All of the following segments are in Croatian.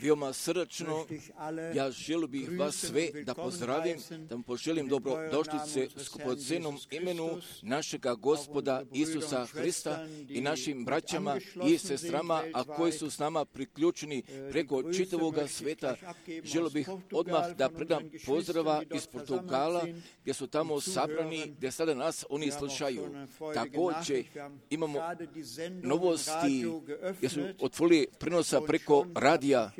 Veoma srdačno, ja želio bih vas sve da pozdravim, da vam poželim dobrodošlice skupocenom imenu našega Gospoda Isusa Hrista i našim braćama i sestrama, a koji su s nama priključeni preko čitavoga sveta. Želio bih odmah da predam pozdrava iz Portugala, gdje su tamo sabrani, gdje sada nas oni slušaju. Također imamo novosti gdje su otvorili prenosa preko radija,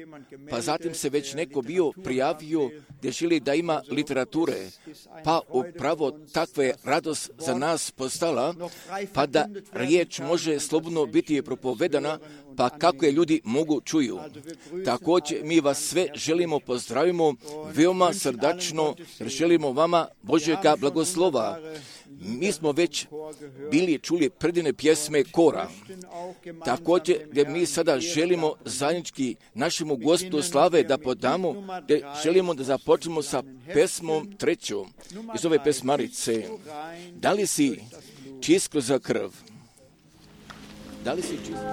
pa zatim se već neko bio prijavio gdje želi da ima literature, pa upravo takva je radost za nas postala, pa da riječ može slobodno biti propovedana, pa kako je ljudi mogu čuju. Također mi vas sve želimo pozdravimo veoma srdačno, jer želimo vama Božjega blagoslova. Mi smo već bili čuli predivne pjesme kora. Također gdje mi sada želimo zajednički našemu Gospodu slave da podamo, gdje želimo da započnemo sa pesmom 3. iz ove pesmarice. Da li si čist kroz krv? Da li si čist?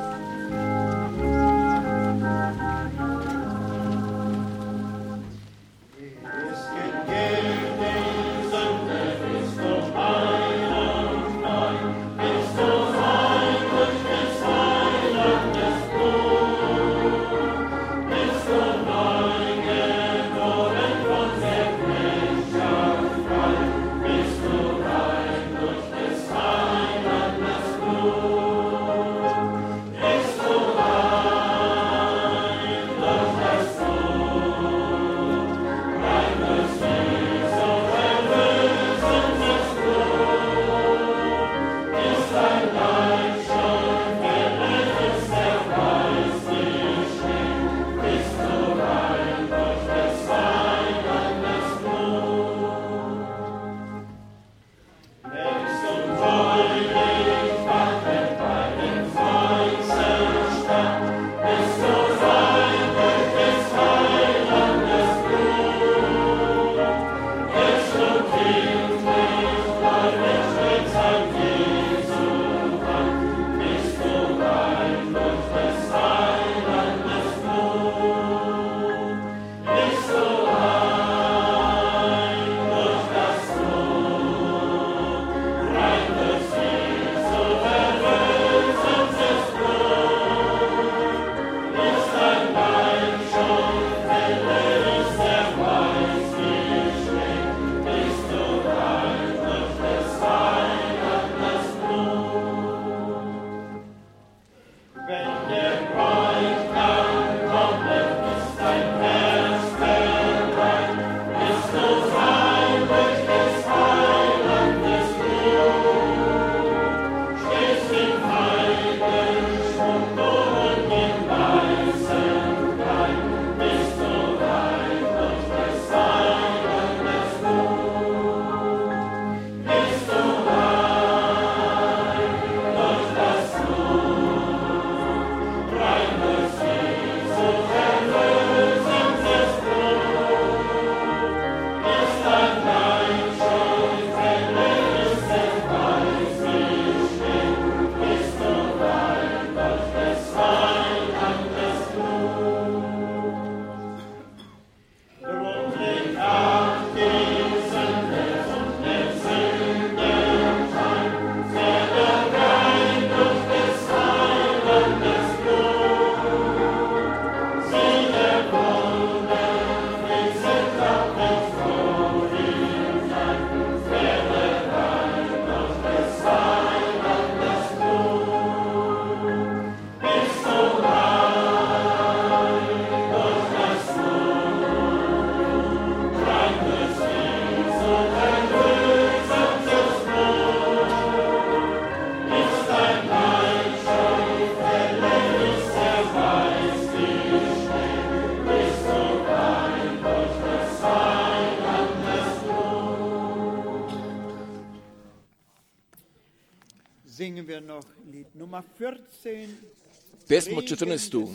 Pesmo 14.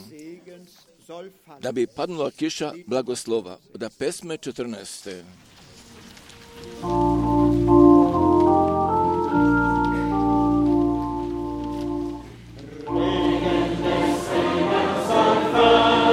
Da bi padnula kiša blagoslova. Da pesme 14. Regen des Segens soll fallen.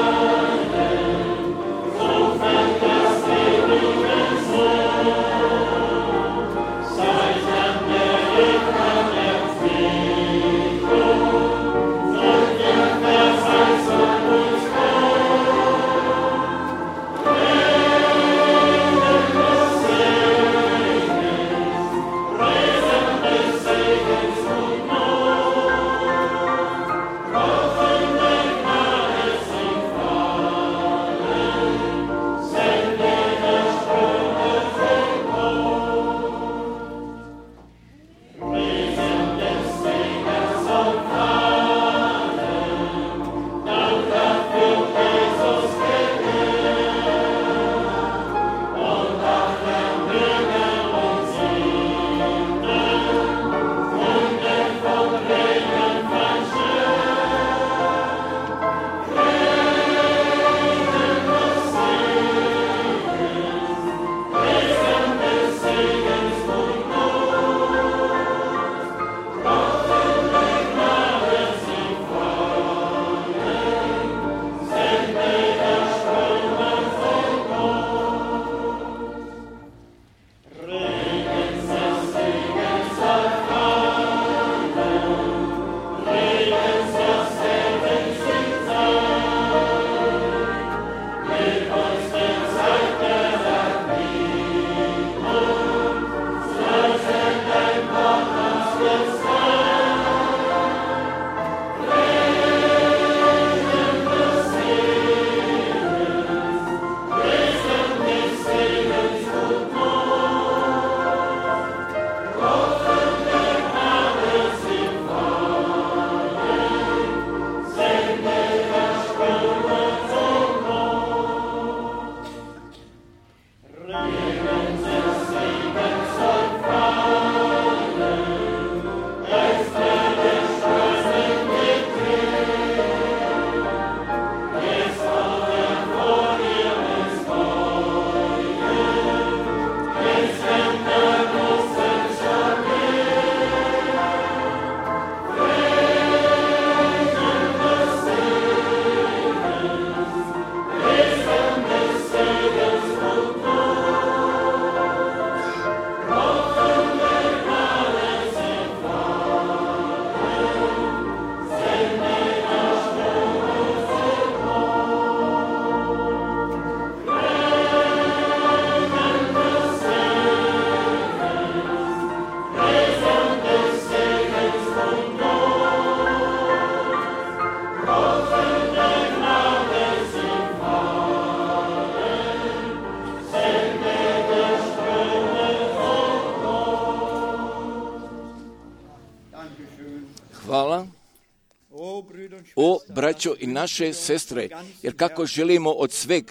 braćo i naše sestre, jer kako želimo od sveg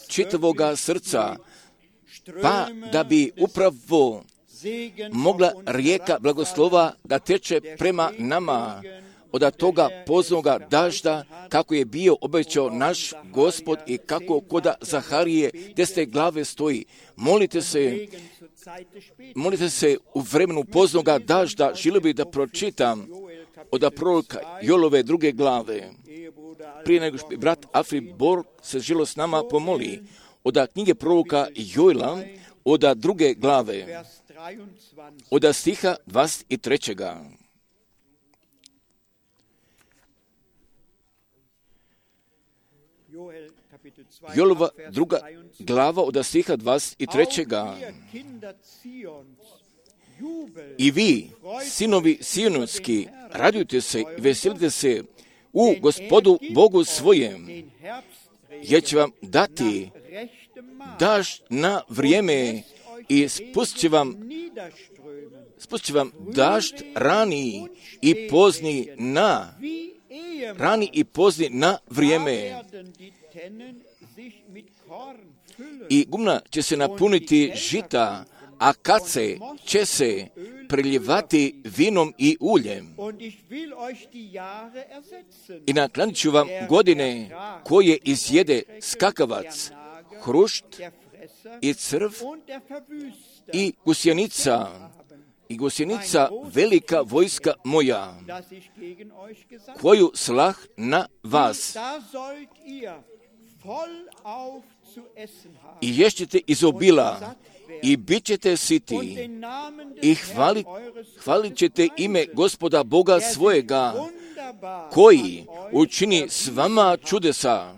čitavoga srca, pa da bi upravo mogla rijeka blagoslova da teče prema nama, od toga poznoga dažda, kako je bio obećao naš Gospod i kako koda Zaharije desne glave stoji. Molite se u vremenu poznoga dažda, želio bih da pročitam od proroka Joelove 2. glave. Prije nego što brat Afri Borg se želo s nama pomoli, od knjige proroka Joela, od 2. glave, od stiha 23. Joelova 2. glava od stiha 23. I vi, sinovi Sionski, radujte se i veselite se u Gospodu Bogu svojem, jer će vam dati dažd na vrijeme i spustit će vam dažd rani i pozni na vrijeme. I gumna će se napuniti žita, a kace će se preljevati vinom i uljem. I naklanit ću vam godine koje izjede skakavac, hrušt i crv i gusjenica velika vojska moja, koju slah na vas. I ješćete iz obila i bit ćete siti i hvalit ćete ime Gospoda Boga svojega, koji učini s vama čudesa.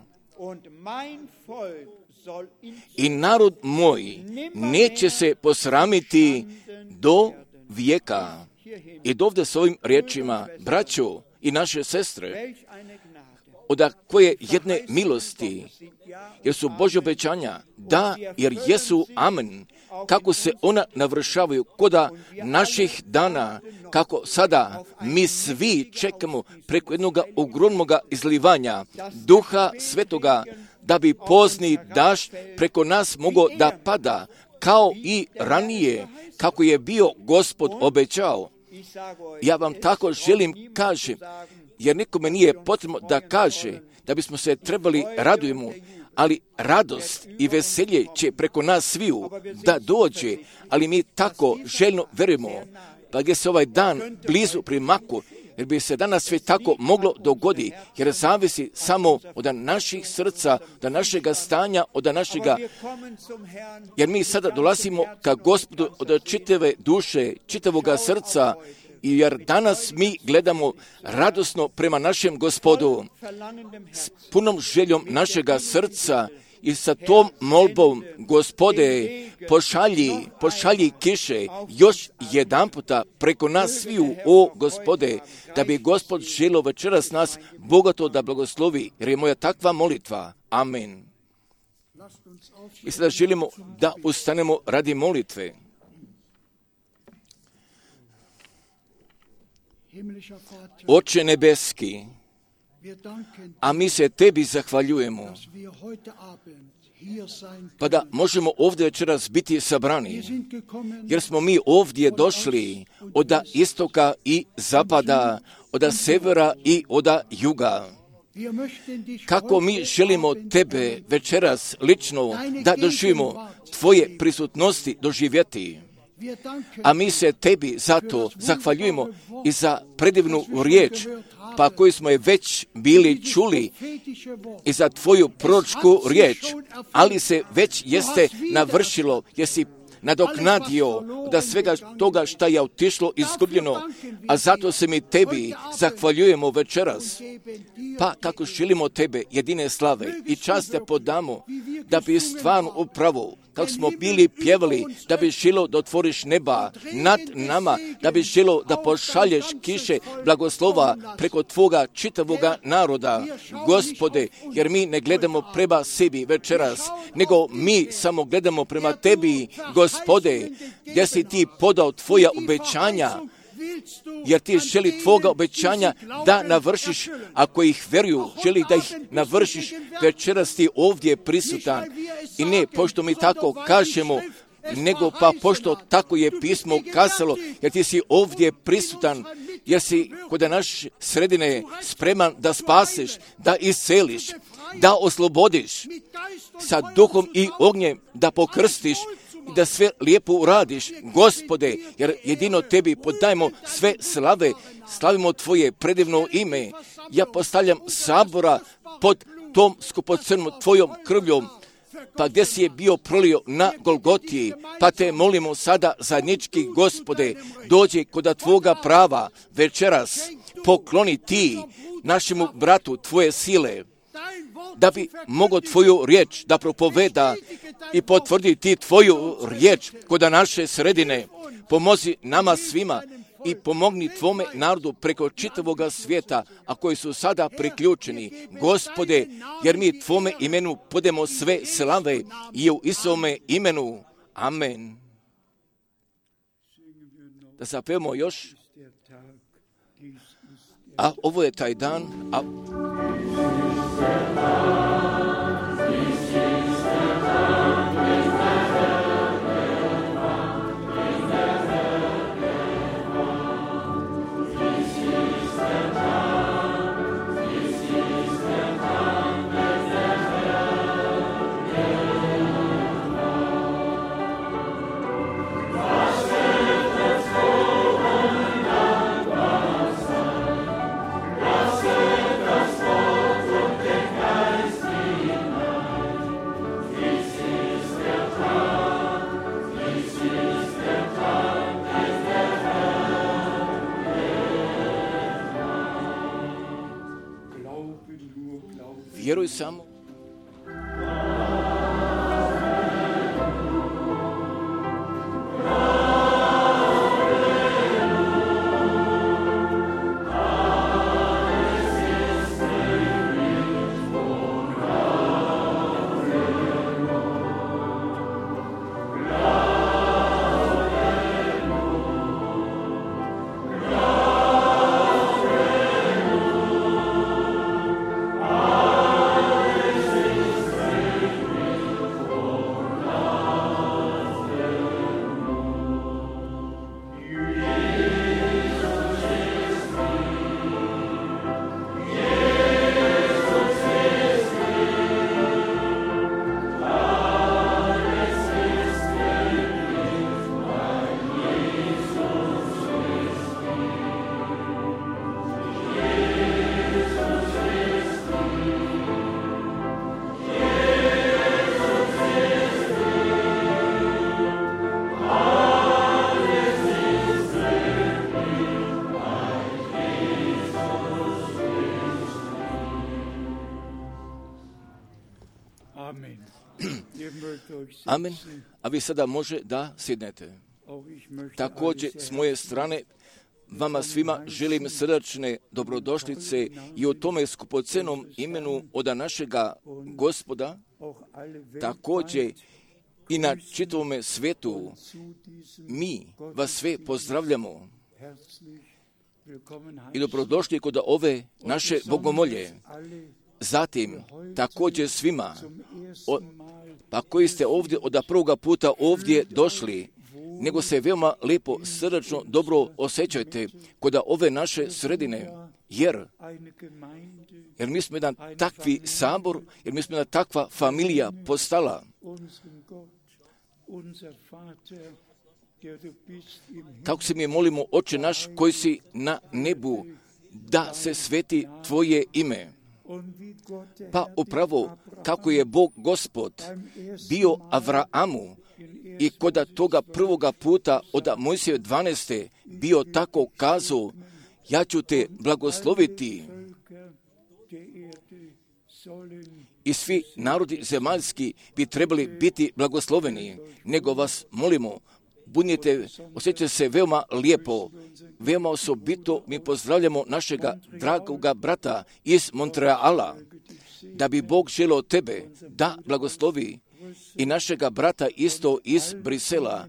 I narod moj neće se posramiti do vijeka. I dovde s ovim riječima, braćo i naše sestre, od koje jedne milosti, jer su Božje obećanja, da, jer jesu, amen, kako se ona navršavaju koda naših dana, kako sada mi svi čekamo preko jednog ogromnog izlivanja Duha Svetoga, da bi pozni dažd preko nas mogao da pada, kao i ranije, kako je bio Gospod obećao. Ja vam tako želim kažem, jer nikome nije potrebno da kaže da bismo se trebali radujemo, ali radost i veselje će preko nas sviju da dođe, ali mi tako željno verujemo, pa gdje se ovaj dan blizu primaku, jer bi se danas sve tako moglo dogoditi, jer zavisi samo od naših srca, od našega stanja, od našega, jer mi sada dolazimo ka Gospodu od čitave duše, čitavoga srca, i jer danas mi gledamo radosno prema našem Gospodu, s punom željom našega srca i sa tom molbom, Gospode, pošalji kiše još jedan puta preko nas sviju, o Gospode, da bi Gospod želio večeras nas bogato da blagoslovi, jer je moja takva molitva. Amen. I sada želimo da ustanemo radi molitve. Oče nebeski, a mi se tebi zahvaljujemo, pa da možemo ovdje večeras biti sabrani, jer smo mi ovdje došli od istoka i zapada, od severa i od juga. Kako mi želimo tebe večeras lično da doživimo tvoje prisutnosti doživjeti. A mi se tebi zato zahvaljujemo i za predivnu riječ, pa koju smo je već bili čuli, i za tvoju proročku riječ, ali se već jeste navršilo, jesi nadoknadio da svega toga šta je otišlo izgubljeno, a zato se mi tebi zahvaljujemo večeras. Pa kako želimo tebe jedine slave i čast te podamo, da bi stvarno upravo, kako smo bili pjevali, da bi želo da otvoriš neba nad nama, da bi želo da pošalješ kiše blagoslova preko tvoga čitavoga naroda, Gospode, jer mi ne gledamo prema sebi večeras, nego mi samo gledamo prema tebi, Gospode, gdje si ti podao tvoja obećanja, jer ti želi tvoga obećanja da navršiš, ako ih veruju, želi da ih navršiš, večeras ti ovdje prisutan. I ne pošto mi tako kažemo, nego pa pošto tako je pismo kazalo, jer ti si ovdje prisutan, jer si kod naše sredine spreman da spaseš, da isceliš, da oslobodiš, sa duhom i ognjem da pokrstiš i da sve lijepo uradiš, Gospode, jer jedino tebi podajemo sve slave, slavimo tvoje predivno ime. Ja postavljam sabora pod tom skupocrnom tvojom krvljom, pa gdje si je bio prolio na Golgotiji, pa te molimo sada zajednički, Gospode, dođi kod tvoga prava večeras, pokloni ti našemu bratu tvoje sile, da bi mogao tvoju riječ da propoveda i potvrdi ti tvoju riječ kod naše sredine. Pomozi nama svima i pomogni tvome narodu preko čitavoga svijeta, a koji su sada priključeni, Gospode, jer mi tvome imenu podemo sve slave i u Isovome imenu. Amen. Da zapevamo još. A ovo je taj dan, vjeruj samo. Amen. A vi sada može da sjednete. Također s moje strane vama svima želim srdačne dobrodošlice i u tome skupocenom imenu od našega Gospoda, također i na čitavome svijetu. Mi vas sve pozdravljamo i dobrodošli kod ove naše bogomolje. Zatim također svima, pa koji ste ovdje od prvoga puta ovdje došli, nego se veoma lijepo, srdačno, dobro osjećajte kod ove naše sredine, jer mi smo jedan takvi sabor, jer mi smo jedna takva familija postala. Tako se mi molimo, Oče naš koji si na nebu, da se sveti tvoje ime. Pa upravo kako je Bog Gospod bio Avraamu i kod toga prvoga puta od Mojsije 12. bio tako kazao, ja ću te blagosloviti i svi narodi zemaljski bi trebali biti blagosloveni, nego vas molimo, budite, osjećajte se veoma lijepo, veoma osobito mi pozdravljamo našega dragoga brata iz Montreala, da bi Bog želio tebe da blagoslovi i našega brata isto iz Brisela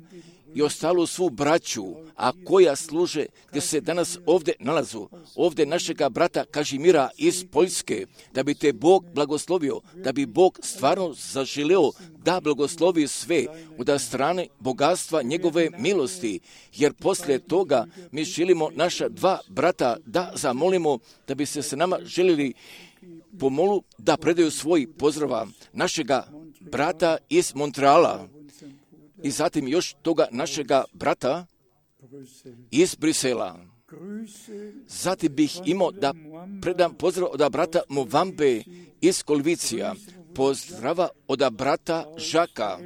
i ostalu svu braću, a koja služe gdje se danas ovdje nalazu, ovdje našega brata Kažimira iz Poljske, da bi te Bog blagoslovio, da bi Bog stvarno zaželio da blagoslovi sve od strane bogatstva njegove milosti, jer poslije toga mi želimo naša dva brata da zamolimo da bi se s nama željeli pomolu da predaju svoj pozdrava našega brata iz Montreala i zatim još toga našega brata iz Brisela. Zatim bih imao da predam pozdrav od brata Movambe iz Kolvicija, pozdrava od brata Žaka,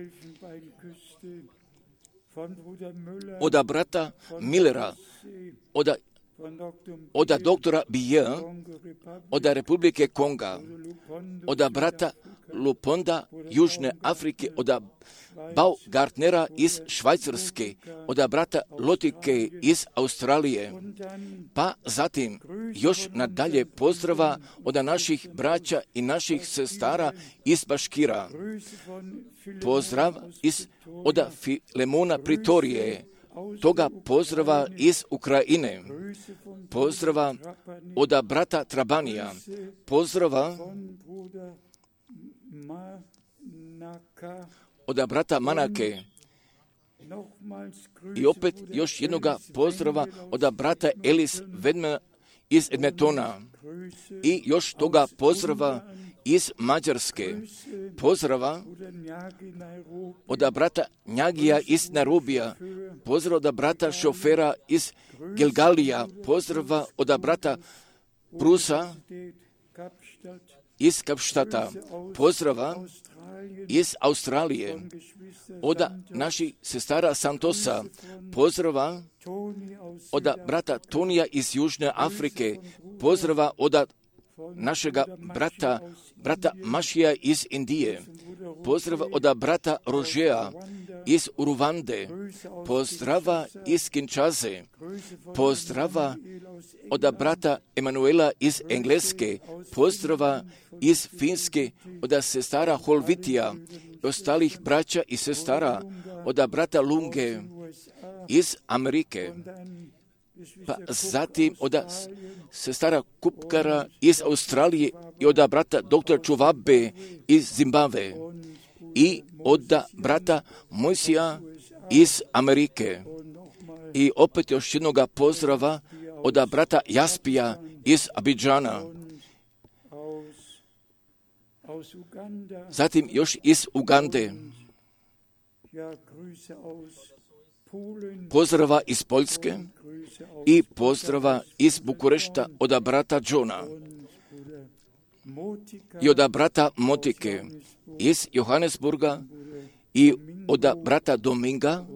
od brata Millera, od doktora Bije, od Republike Konga, od brata Luponda Južne Afrike, od Baugartnera iz Švajcarske, od brata Lotike iz Australije, pa zatim još nadalje pozdrava od naših braća i naših sestara iz Baškira, pozdrav od Filemona Pritorije, toga pozdrava iz Ukrajine, pozdrava od brata Trabanija, pozdrava od brata Manake i opet još jednoga pozdrava od brata Elis Vedmana iz Edmontona i još toga pozdrava iz Mađarske, pozdrava od brata Njagija iz Nairobija, pozdrava od brata Šofera iz Gilgalija, pozdrava od brata Brusa iz Kapštata, pozdrava iz Australije, od naših sestara Santosa, pozdrava od brata Tonija iz Južne Afrike, pozdrava od našega brata Mašija iz Indije, pozdrava od brata Rožeja iz Uruvande, pozdrava iz Kinshase, pozdrava od brata Emanuela iz Engleske, pozdrava iz Finske, od sestara Holvitija i ostalih braća i sestara, od brata Lunge iz Amerike, pa zatim od sestara Kupkara iz Australije i od brata dr. Čuvabe iz Zimbabve i od brata Mojsija iz Amerike i opet još jednoga pozdrava od brata Jaspija iz Abidžana, zatim još iz Ugande, pozdrava iz Poljske i pozdrava iz Bukurešta od brata Johna i od brata Motike iz Johannesburga i od brata Dominga,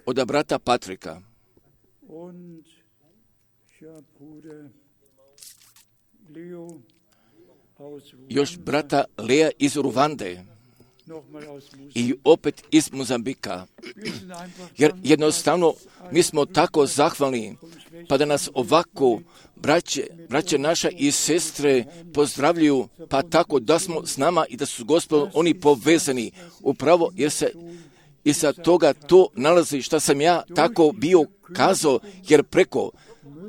od brata Patrika, još brata Lea iz Ruvande i opet iz Mozambika, jer jednostavno mi smo tako zahvalni, pa da nas ovako braće naša i sestre pozdravljuju, pa tako da smo s nama i da su Gospodom oni povezani, upravo jer se i sa toga to nalazi što sam ja tako bio kazao, jer preko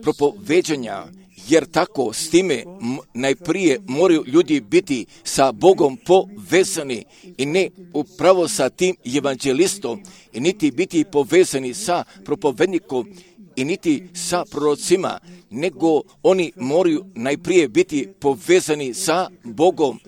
propoveđanja, jer tako s time najprije moraju ljudi biti sa Bogom povezani i ne upravo sa tim evanđelistom i niti biti povezani sa propovednikom i niti sa prorocima, nego oni moraju najprije biti povezani sa Bogom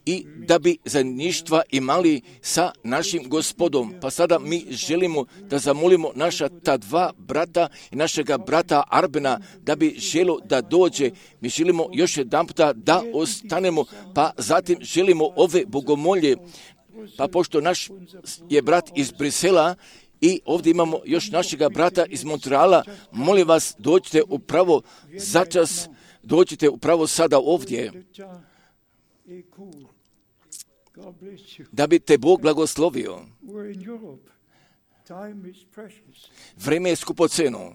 i da bi zajedništva imali sa našim Gospodom. Pa sada mi želimo da zamolimo naša ta dva brata i našega brata Arbena da bi želio da dođe. Mi želimo još jedan puta da ostanemo, pa zatim želimo ove bogomolje, pa pošto naš je brat iz Brisela i ovdje imamo još našega brata iz Montreala, molim vas dođite upravo začas, dođite upravo sada ovdje, da bi te Bog blagoslovio. Vrijeme je skupoceno.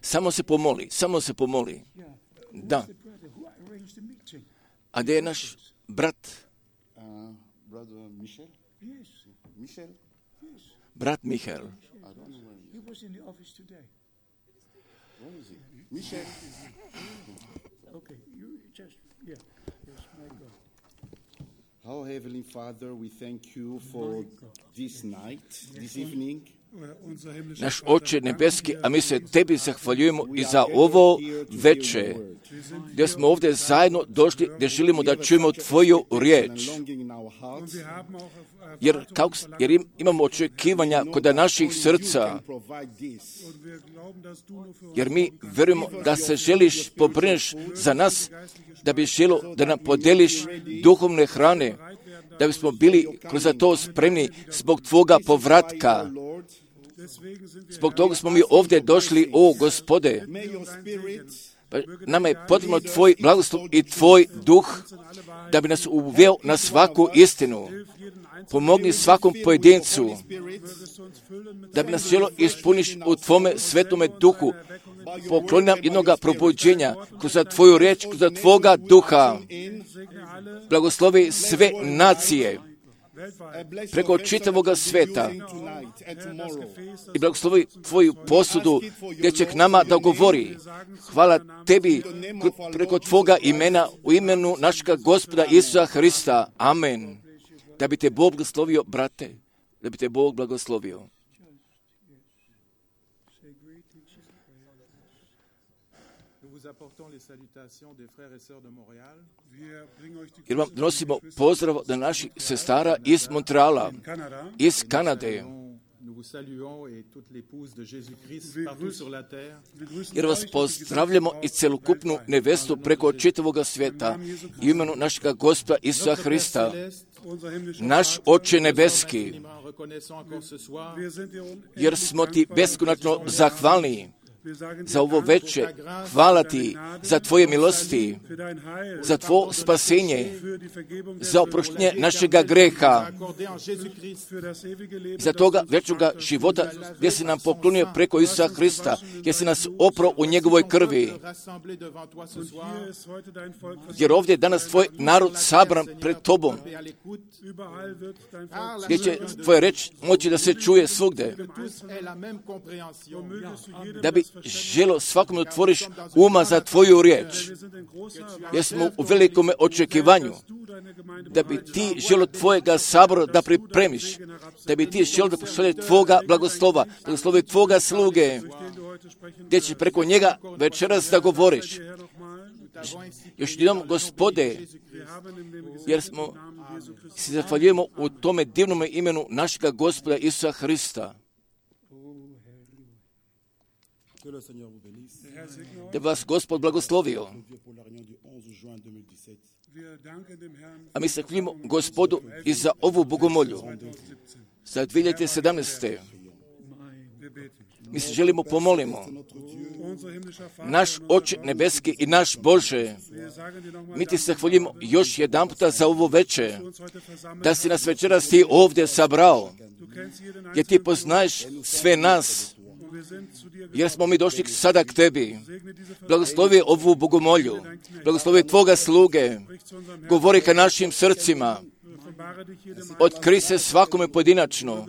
Samo se pomoli. Da. A gdje je naš brat? Brat Michael. Our Heavenly Father, we thank you for this night, this evening. Naš Oče nebeski, a mi se Tebi zahvaljujemo i za ovo veče, gdje smo ovdje zajedno došli, gdje želimo da čujemo Tvoju riječ. Jer imamo očekivanja kod naših srca, jer mi verujemo da se želiš pobrineš za nas, da bi želo da nam podeliš duhovne hrane, da bismo bili kroz to spremni zbog Tvoga povratka. Zbog toga smo mi ovdje došli, o Gospode. Nama je potrebno Tvoj blagoslov i Tvoj duh, da bi nas uveo na svaku istinu. Pomogni svakom pojedincu, da bi nas želo ispuniš u Tvome svetome duhu. Pokloni nam jednoga probuđenja kroz Tvoju riječ, kroz Tvoga duha. Blagoslovi sve nacije preko čitavoga sveta i blagoslovi Tvoju posudu gdje će k nama da govori. Hvala Tebi preko Tvoga imena u imenu našega Gospoda Isusa Hrista. Amen. Da bi Te Bog blagoslovio, brate, da bi Te Bog blagoslovio. Jer vam donosimo pozdrav od naših sestara iz Montreala, iz Kanade. Jer vas pozdravljamo i celokupnu nevestu preko čitavoga sveta i imenu našega Gospoda Isusa Hrista. Naš Oče nebeski, jer smo Ti beskonačno zahvalni za ovo veče. Hvala Ti za Tvoje milosti, za Tvoje spasenje, za oproštenje našega greha, za toga večnoga života gdje si nam poklonio preko Isusa Hrista, gdje si nas oprao u njegovoj krvi. Jer ovdje je danas Tvoj narod sabran pred Tobom, gdje će Tvoja reč moći da se čuje svugde. Da bi želo svakom otvoriš uma za Tvoju riječ. Jer smo u velikome očekivanju da bi Ti želo Tvojega sabora da pripremiš, da bi Ti želo da pošalje Tvoga blagoslova, blagoslovi Tvoga sluge, gdje će preko njega večeras da govoriš. Još jednom, Gospode, jer smo se zahvaljujemo u tome divnom imenu našega Gospoda Isusa Hrista. Da vas Gospod blagoslovio. A mi se hvalimo Gospodu i za ovu bogomolju za 2017. Mi se želimo pomolimo. Naš Oče nebeski i naš Bože, mi Ti se hvalimo još jedan puta za ovo veče, da si nas večeras Ti ovdje sabrao, jer Ti poznaješ sve nas, jer smo mi došli sada k Tebi. Blagoslovi ovu bogomolju, blagoslovi Tvoga sluge, govori ka našim srcima, otkri se svakome pojedinačno,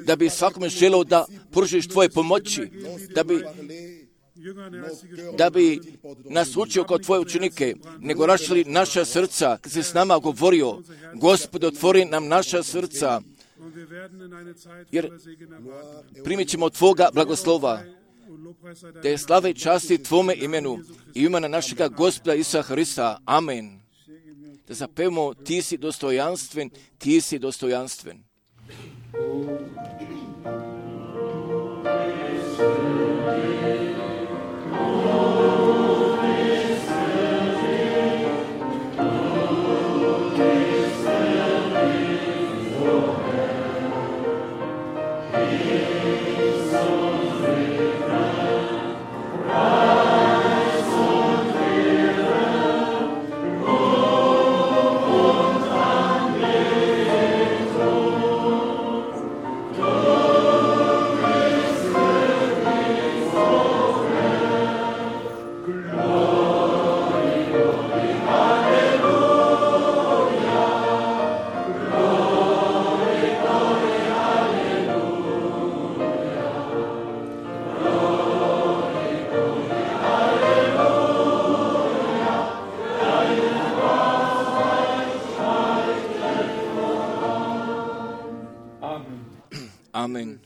da bi svakome želeo da pružiš Tvoje pomoći, da bi nas učio kao Tvoje učenike, nego rašili naša srca, kad si s nama govorio, Gospod, otvori nam naša srca, jer primit ćemo Tvoga blagoslova, da je slava i časti Tvome imenu i imena našega Gospoda Isusa Hrista. Amen. Da zapevamo, Ti si dostojanstven, Ti si dostojanstven. Oh Amen.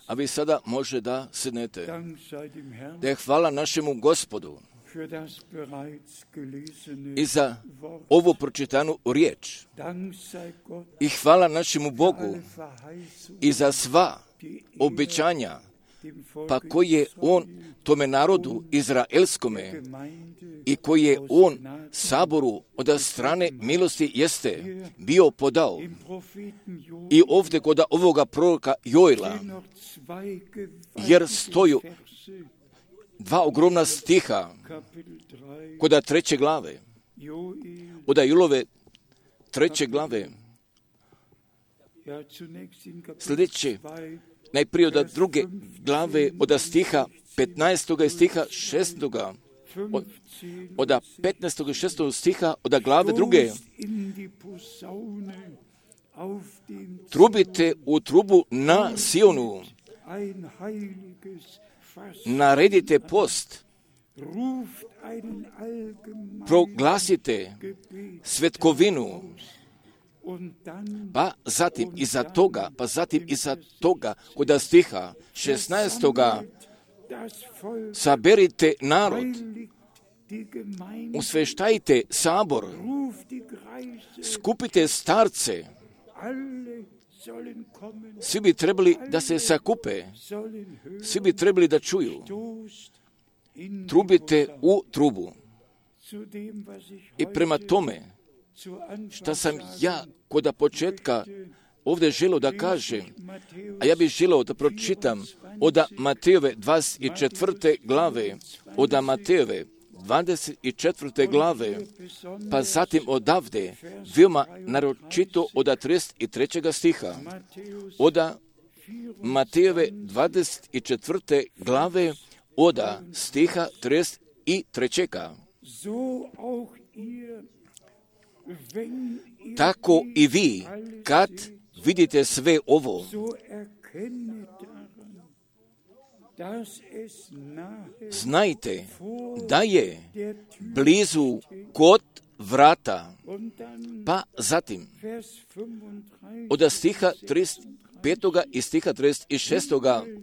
A vi sada može da sednete. Da je hvala našemu Gospodu i za ovu pročitanu riječ. I hvala našemu Bogu i za sva obećanja, pa koje je on tome narodu izraelskome i koje je on saboru od strane milosti jeste bio podao. I ovdje kod ovoga proroka Joela, jer stoju dva ogromna stiha kod 3. glave, od Joelove 3. glave, sljedeće, najprije od 2. glave, od stiha 15. i stiha 6. Od 15. i 6. stiha, od glave 2. Trubite u trubu na Sionu, naredite post, proglasite svetkovinu, pa zatim iza toga kod stiha 16. saberite narod, usveštajte sabor, skupite starce, svi bi trebali da se sakupe, svi bi trebali da čuju, trubite u trubu. I prema tome, šta sam ja kod početka ovdje želio da kažem, a ja bih želio da pročitam od Matejove 24. glave, od Matejove 24. glave, pa zatim odavde, veoma naročito od 33. stiha, od Matejove 24. glave, od stiha 33. Tako i vi, kad vidite sve ovo, znajte da je blizu kod vrata. Pa zatim, od stiha 35. i stiha 36.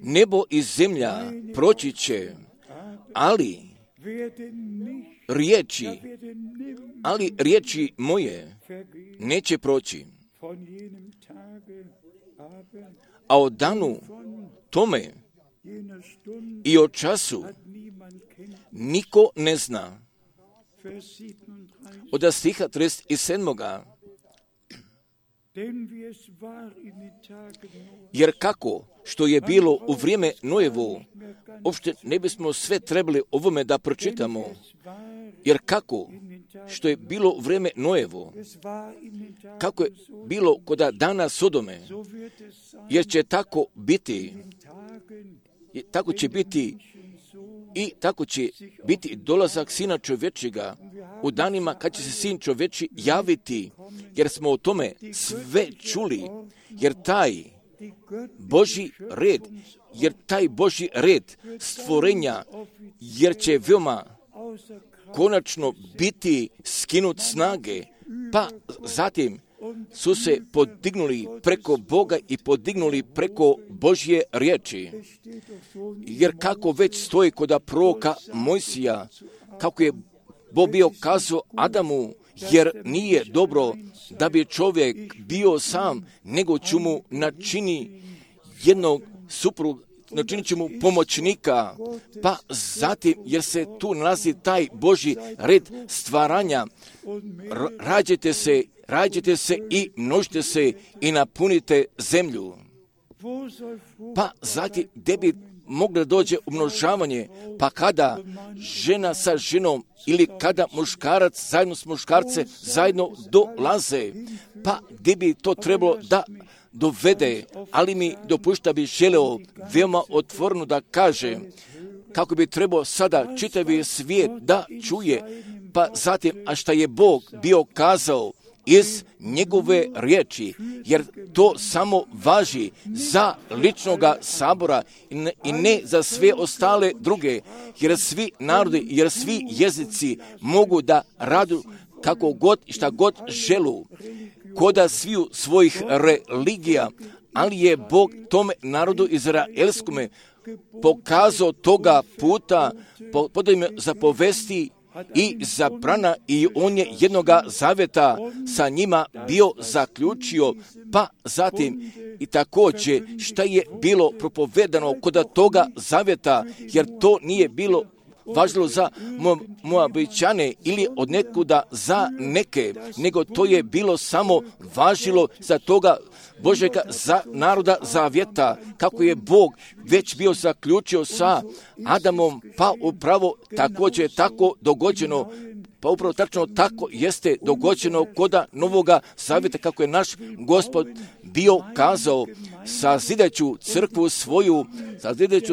Nebo i zemlja proći će, ali riječi moje neće proći. A o danu tome i o času niko ne zna. Od stiha 37. Jer kako što je bilo u vrijeme Nojevo, uopšte ne bismo sve trebali ovome da pročitamo. Jer kako što je bilo u vrijeme Nojevo, kako je bilo kod dana Sodome, jer će tako biti, tako će biti i tako će biti dolazak Sina čovječega u danima kad će se Sin čovječi javiti, jer smo o tome sve čuli, jer taj Božji red stvorenja, jer će veoma konačno biti skinut snage, pa zatim su se podignuli preko Boga i podignuli preko Božje riječi. Jer kako već stoji kod proroka Mojsija, kako je Bog bio kazao Adamu, jer nije dobro da bi čovjek bio sam, nego ću mu načini jednog supruga, načinit će mu pomoćnika, pa zatim, jer se tu nalazi taj Božji red stvaranja, rađajte se i množite se i napunite zemlju. Pa zatim, gdje bi moglo dođe umnožavanje, pa kada žena sa ženom ili kada muškarac zajedno s muškarcem zajedno dolaze, pa gdje bi to trebalo da dovede, ali mi dopušta bi želeo veoma otvoreno da kaže kako bi trebao sada čitavi svijet da čuje, pa zatim, a šta je Bog bio kazao iz njegove riječi, jer to samo važi za ličnoga sabora i ne za sve ostale druge, jer svi narodi, jer svi jezici mogu da radu kako god i šta god želu. koda sviju svojih religija, ali je Bog tome narodu izraelskome pokazao toga puta, podao im zapovesti i zabrana, i on je jednoga zaveta sa njima bio zaključio. Pa zatim i također šta je bilo propovedano kod toga zaveta, jer to nije bilo važilo za Moabičane ili od nekuda za neke, nego to je bilo samo važilo za toga Božega za naroda zavjeta, kako je Bog već bio zaključio sa Adamom, pa upravo također tako dogođeno. Pa upravo tačno tako jeste dogođeno koda novoga zavjeta, kako je naš Gospod bio kazao, sazidaću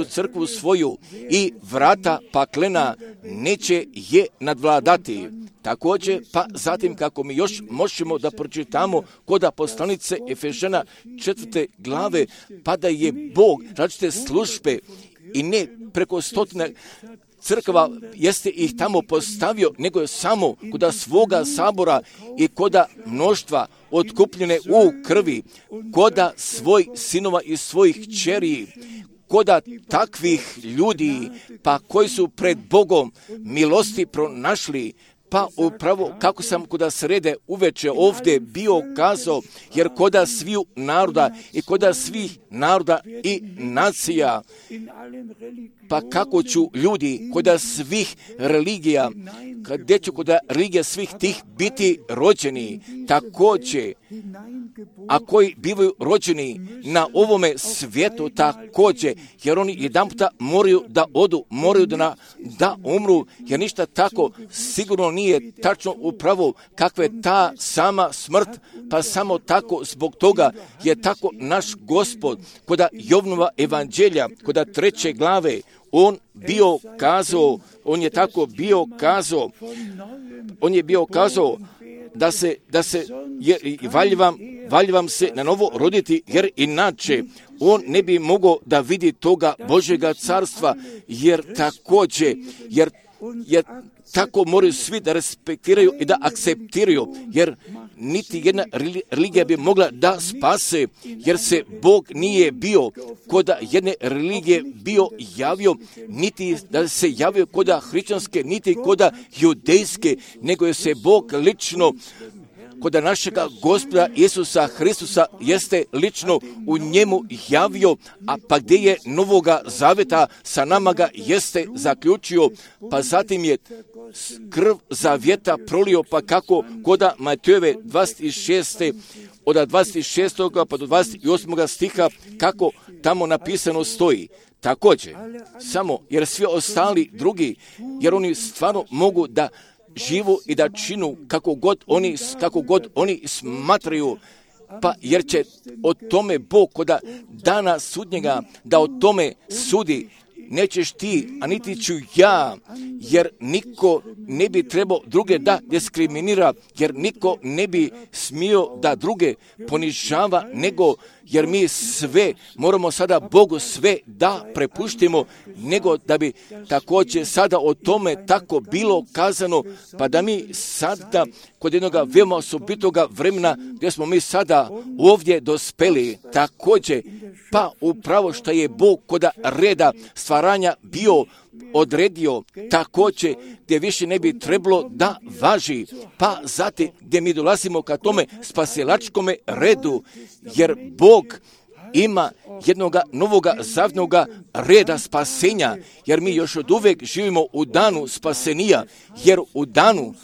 crkvu svoju i vrata paklena neće je nadvladati. Također, pa zatim kako mi još možemo da pročitamo koda poslanice Efežana 4. glave, pa da je Bog različite službe i ne preko stotine crkva jeste ih tamo postavio, nego je samo koda svoga sabora i koda mnoštva otkupljene u krvi, koda svoj sinova i svojih kćeri, koda takvih ljudi, pa koji su pred Bogom milosti pronašli. Pa upravo kako sam koda srede uveče ovdje bio kazao, jer koda sviju naroda i koda svih naroda i nacija, pa kako ću ljudi koda svih religija, gdje ću koda religija svih tih biti rođeni, također, a koji bivaju rođeni na ovome svijetu također, jer oni jedan puta moraju da odu, moraju da umru, jer ništa tako sigurno nije tačno upravo kakva je ta sama smrt, pa samo tako zbog toga je tako naš Gospod koda Jovnova evanđelja, koda 3. glave, on je tako bio kazao da se valj vam se na novo roditi, jer inače on ne bi mogao da vidi toga Božjega carstva, jer tako moraju svi da respektiraju i da akceptiraju, jer niti jedna religija bi mogla da spase, jer se Bog nije bio koda jedne religije bio javio, niti da se javio koda hrišćanske, niti koda judejske, nego je se Bog lično koda našega Gospoda Isusa Hristusa jeste lično u njemu javio, a pa gdje je novoga zaveta sa nama ga jeste zaključio, pa zatim je krv zavjeta prolio, pa kako koda Matejove 26. od 26. pa do 28. stiha, kako tamo napisano stoji. Također, samo jer svi ostali drugi, jer oni stvarno mogu da živu i da činu kako god oni smatraju, pa jer će o tome Bog koda dana sudnjega da o tome sudi. Nećeš ti, a niti ću ja, jer niko ne bi trebao druge da diskriminira, jer niko ne bi smio da druge ponižava, nego jer mi sve moramo sada Bogu sve da prepuštimo, nego da bi također sada o tome tako bilo kazano, pa da mi sada kod jednog veoma osobitoga vremena gdje smo mi sada ovdje dospeli, također, pa upravo što je Bog koda reda stvaranja bio odredio, također gdje više ne bi trebalo da važi, pa zatim gdje mi dolazimo ka tome spasilačkome redu, jer Bog ima jednoga novoga zavnoga reda spasenja, jer mi još od uvijek živimo u danu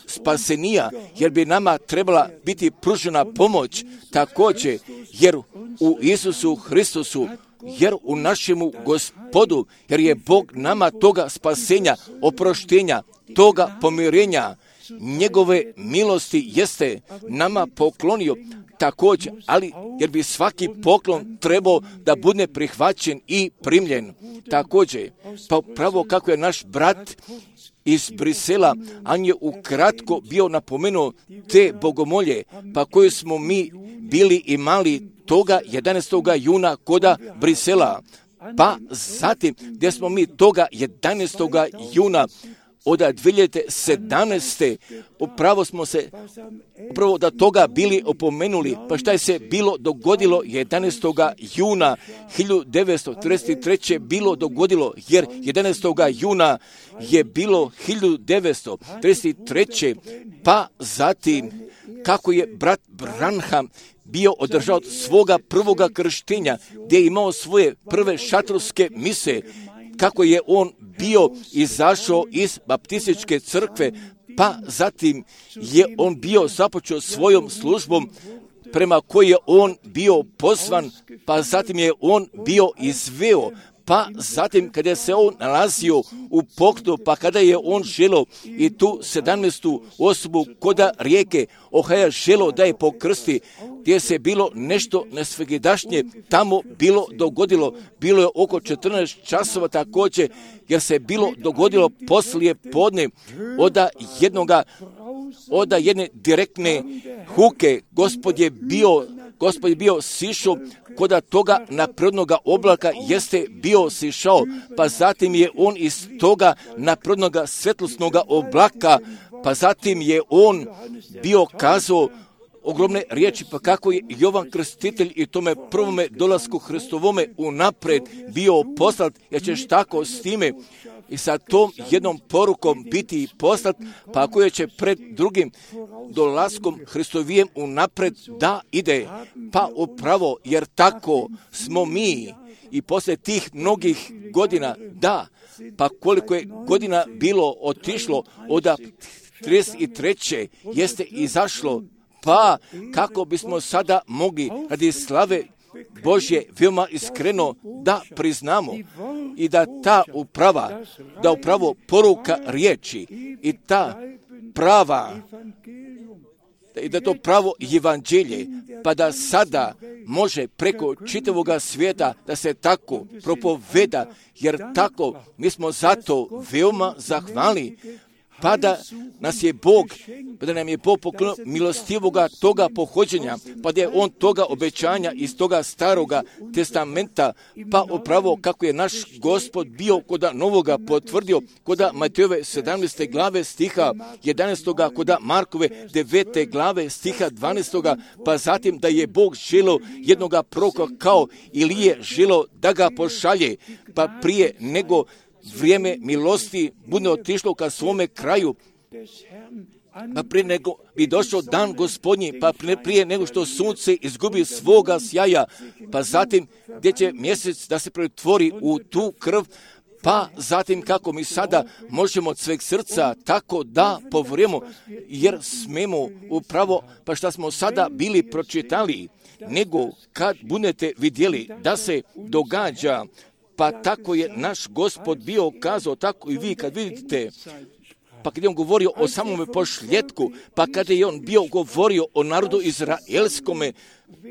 spasenija, jer bi nama trebala biti pružena pomoć, također, jer u Isusu Hristusu, jer u našemu Gospodu, jer je Bog nama toga spasenja, oproštenja, toga pomirenja, njegove milosti jeste nama poklonio također, ali jer bi svaki poklon trebao da bude prihvaćen i primljen. Također, pa pravo kako je naš brat iz Brisela, on je ukratko bio napomenuo te bogomolje, pa koje smo mi bili imali toga 11. juna koda Brisela, pa zatim gdje smo mi toga 11. juna od 2017. upravo smo se upravo da toga bili opomenuli. Pa šta je se bilo dogodilo 11. juna 1933. bilo dogodilo, jer 11. juna je bilo 1933. Pa zatim kako je brat Branham bio održao svoga prvoga krštenja, gdje je imao svoje prve šatorske mise, kako je on bio izašao iz baptističke crkve, pa zatim je on bio započeo svojom službom prema kojoj je on bio pozvan, pa zatim je on bio izveo, pa zatim kada se on nalazio u pokretu, pa kada je on želio i tu 17. osobu koda rijeke Ohaja želio da je pokrsti, gdje se bilo nešto nesvegedašnje tamo bilo dogodilo. Bilo je oko 14 časova također, jer se bilo dogodilo poslije podne od jedne direktne huke. Gospod je bio sišao koda toga naprednoga oblaka jeste bio sišao, pa zatim je on iz toga naprednoga svetlosnoga oblaka, pa zatim je on bio kazao ogromne riječi, pa kako je Jovan Krstitelj i tome prvome dolasku Hristovome unaprijed bio poslat, jer ćeš tako s time i sa tom jednom porukom biti poslat, pa ako je će pred drugim dolaskom Hristovijem unaprijed da ide, pa upravo, jer tako smo mi i poslije tih mnogih godina, da, pa koliko je godina bilo otišlo od 33. jeste izašlo, pa kako bismo sada mogli radi slave Božje veoma iskreno da priznamo i da ta upravo poruka riječi i ta prava i da to pravo evanđelje, pa da sada može preko čitavoga svijeta da se tako propoveda, jer tako mi smo zato veoma zahvalni, pa da nam je Bog poklonio milostivoga toga pohođenja, pa da je on toga obećanja iz toga staroga testamenta, pa upravo kako je naš Gospod bio koda novoga potvrdio, koda Matejove 17. glave stiha 11. koda Markove 9. glave stiha 12. pa zatim da je Bog želio jednoga proroka kao Ilije želio da ga pošalje, pa prije nego vrijeme milosti bude otišlo ka svome kraju, pa prije nego bi došao dan Gospodnji, pa prije nego što sunce izgubi svoga sjaja, pa zatim gdje će mjesec da se pretvori u tu krv, pa zatim kako mi sada možemo od sveg srca tako da povremo, jer smemo upravo, pa što smo sada bili pročitali, nego kad budete vidjeli da se događa, pa tako je naš Gospod bio kazao, tako i vi kad vidite, pa kad je on govorio o samome pošljetku, pa kada je on bio govorio o narodu izraelskome,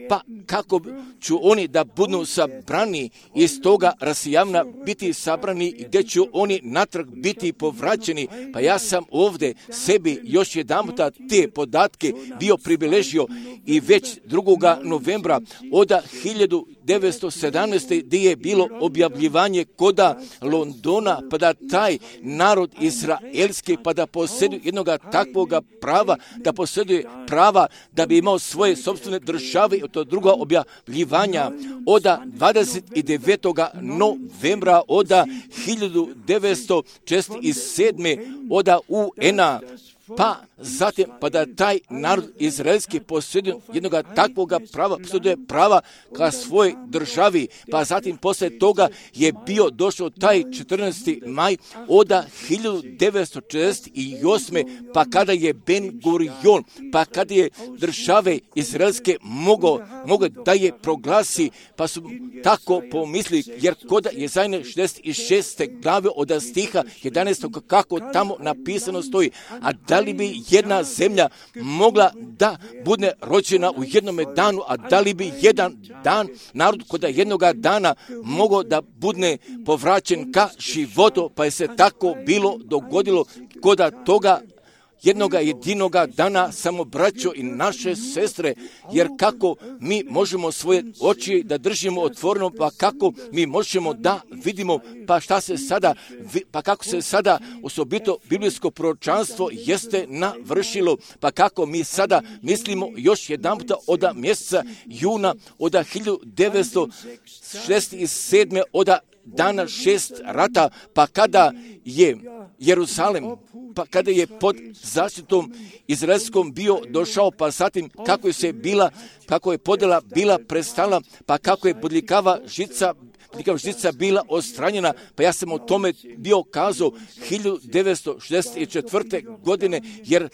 pa kako ću oni da budu sabrani iz toga rasijavna biti sabrani, gdje ću oni natrag biti povraćeni, pa ja sam ovdje sebi još jedanputa te podatke bio pribilježio i već 2. novembra od 1917. gdje je bilo objavljivanje koda Londona, pa da taj narod izraelski, pa da posjeduje jednoga takvoga prava, da posjeduje prava da bi imao svoje sopstvene države, to druga objavljivanja od 29. novembra od 1947. od UN-a, pa zatim pa da taj narod izraelski posjeduje jednoga takvoga prava, posjeduje prava ka svojoj državi, pa zatim poslije toga je bio došao taj 14. maj od 1948. pa kada je Ben Gurion, pa kada je države izraelske mogao da je proglasi, pa su tako pomislili, jer kod Jezajne 66. glave od stiha 11. kako tamo napisano stoji, a da li bi jedna zemlja mogla da bude rođena u jednome danu, a da li bi jedan dan, narod koda jednoga dana mogao da bude povraćen ka životu, pa je se tako bilo dogodilo koda toga jednoga jedinoga dana, samo braćo i naše sestre, jer kako mi možemo svoje oči da držimo otvoreno, pa kako mi možemo da vidimo, pa šta se sada, pa kako se sada osobito biblijsko proročanstvo jeste navršilo, pa kako mi sada mislimo još jedanputa od mjeseca juna od 1967. od dana 6 rata, pa kada je Jeruzalem, pa kada je pod zaštitom izraelskom bio došao, pa zatim kako je podjela bila prestala, pa kako je bodljikava žica bila odstranjena, pa ja sam o tome bio kazao 1964. godine, jer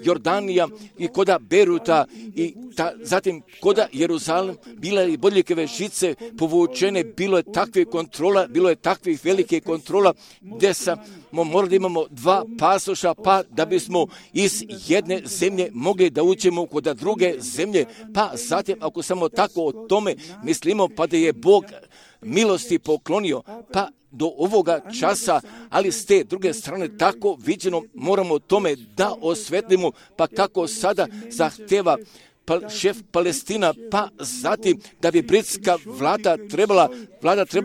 Jordanija i koda Beruta i zatim koda Jeruzalem bila i bodljikave žice povučene, bilo je takve kontrola, bilo je takvih velike kontrola, gdje smo morali da imamo 2 pasoša, pa da bismo iz jedne zemlje mogli da uđemo kod druge zemlje, pa zatim ako samo tako o tome mislimo, pa da je Bog milosti poklonio, pa do ovoga časa, ali s te druge strane tako viđeno moramo tome da osvetlimo, pa kako sada zahteva šef Palestina, pa zatim da bi britska vlada trebala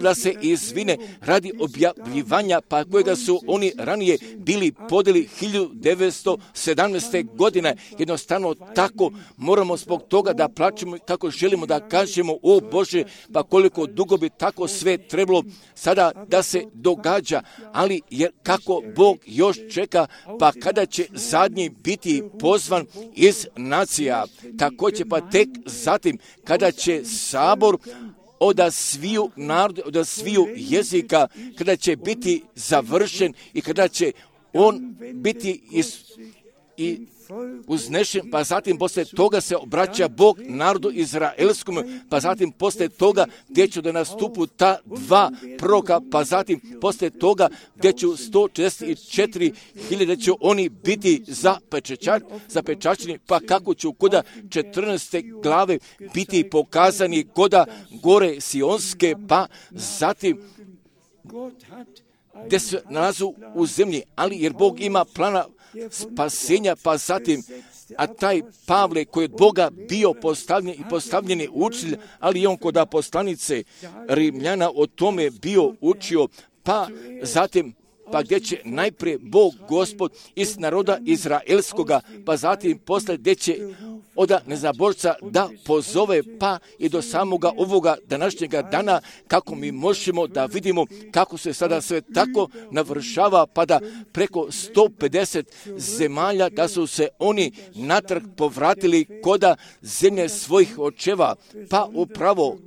da se izvine radi objavljivanja, pa kojega su oni ranije bili podeli 1917. godine. Jednostavno tako moramo zbog toga da plačemo, kako želimo da kažemo, o Bože, pa koliko dugo bi tako sve trebalo sada da se događa, ali jer kako Bog još čeka, pa kada će zadnji biti pozvan iz nacija, također pa tek zatim kada će sabor od sviju naroda, od sviju jezika, kada će biti završen i kada će on biti uznešen, pa zatim poslije toga se obraća Bog narodu izraelskom, pa zatim poslije toga gdje će da nastupu ta 2 proroka, pa zatim poslije toga gdje će 144.000 će oni biti zapečačeni, pa kako će koda 14. glave biti pokazani koda gore Sionske, pa zatim gdje se nalazu u zemlji, ali jer Bog ima plana spasenja, pa zatim, a taj Pavle koji je od Boga bio postavljeni učitelj, ali je on kod poslanice Rimljana o tome bio učio, pa zatim, pa gdje će najprije Bog Gospod iz naroda izraelskoga, pa zatim posle gdje će od nezabožca da pozove, pa i do samoga ovoga današnjega dana, kako mi možemo da vidimo kako se sada sve tako navršava, pa da preko 150 zemalja da su se oni natrag povratili koda zemlje svojih očeva, pa upravo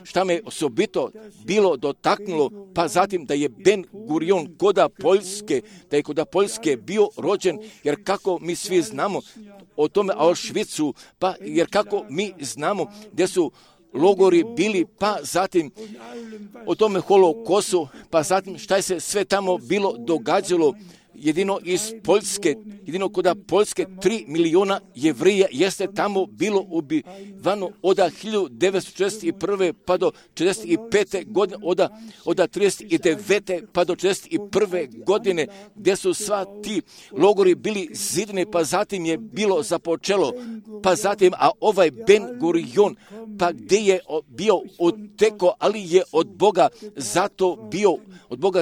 šta me osobito bilo dotaknulo, pa zatim da je Ben Gurion koda Poljske bio rođen, jer kako mi svi znamo o tome Auschwitzu, pa jer kako mi znamo gdje su logori bili, pa zatim o tome Holokosu, pa zatim šta je se sve tamo bilo događalo, jedino iz Poljske, jedino kod Poljske 3 miliona Jevrija jeste tamo bilo ubivano od 1941. pa do 45. godine, od 39. pa do 41. godine, gdje su sva ti logori bili zidani, pa zatim je bilo započelo, pa zatim, a ovaj Ben Gurion, pa gdje je bio uteko, ali je od Boga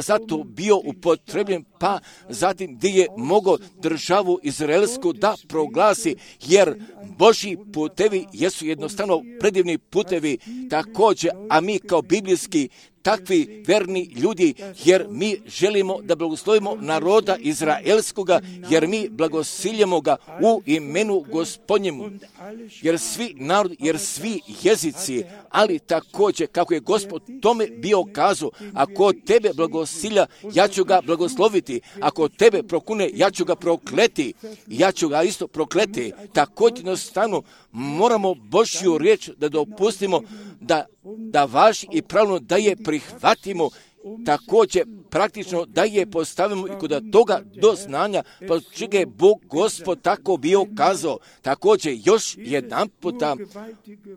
zato bio upotrebljen, pa zatim gdje je mogao državu izraelsku da proglasi, jer Božji putevi jesu jednostavno predivni putevi također, a mi kao biblijski takvi verni ljudi, jer mi želimo da blagoslovimo naroda izraelskoga, jer mi blagosiljamo ga u imenu Gospodnjemu, jer svi jezici, ali također kako je Gospod tome bio kazao, ako tebe blagosilja, ja ću ga blagosloviti, ako tebe prokune, ja ću ga prokleti, ja ću ga isto prokleti. Također jednostavno moramo Božju riječ da dopustimo da važi i pravilno da je prihvatimo, također praktično da je postavimo i kod toga do znanja, pa čega je Bog Gospod tako bio kazao. Također još jedan puta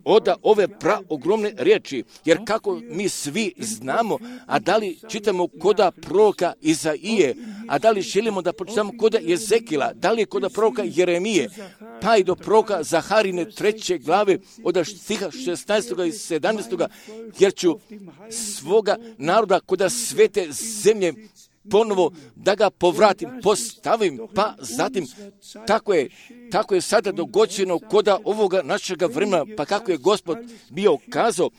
od ove ogromne riječi, jer kako mi svi znamo, a da li čitamo koda proroka Izaije, a da li želimo da počitamo kod Jezekila, da li kod proroka Jeremije, pa i do proroka Zaharine 3. glave od stiha 16. i 17. jer ću svoga naroda kod svete zemlje ponovo da ga povratim, postavim, pa zatim tako je sada dogođeno kod ovoga našega vremena, pa kako je Gospod bio kazao,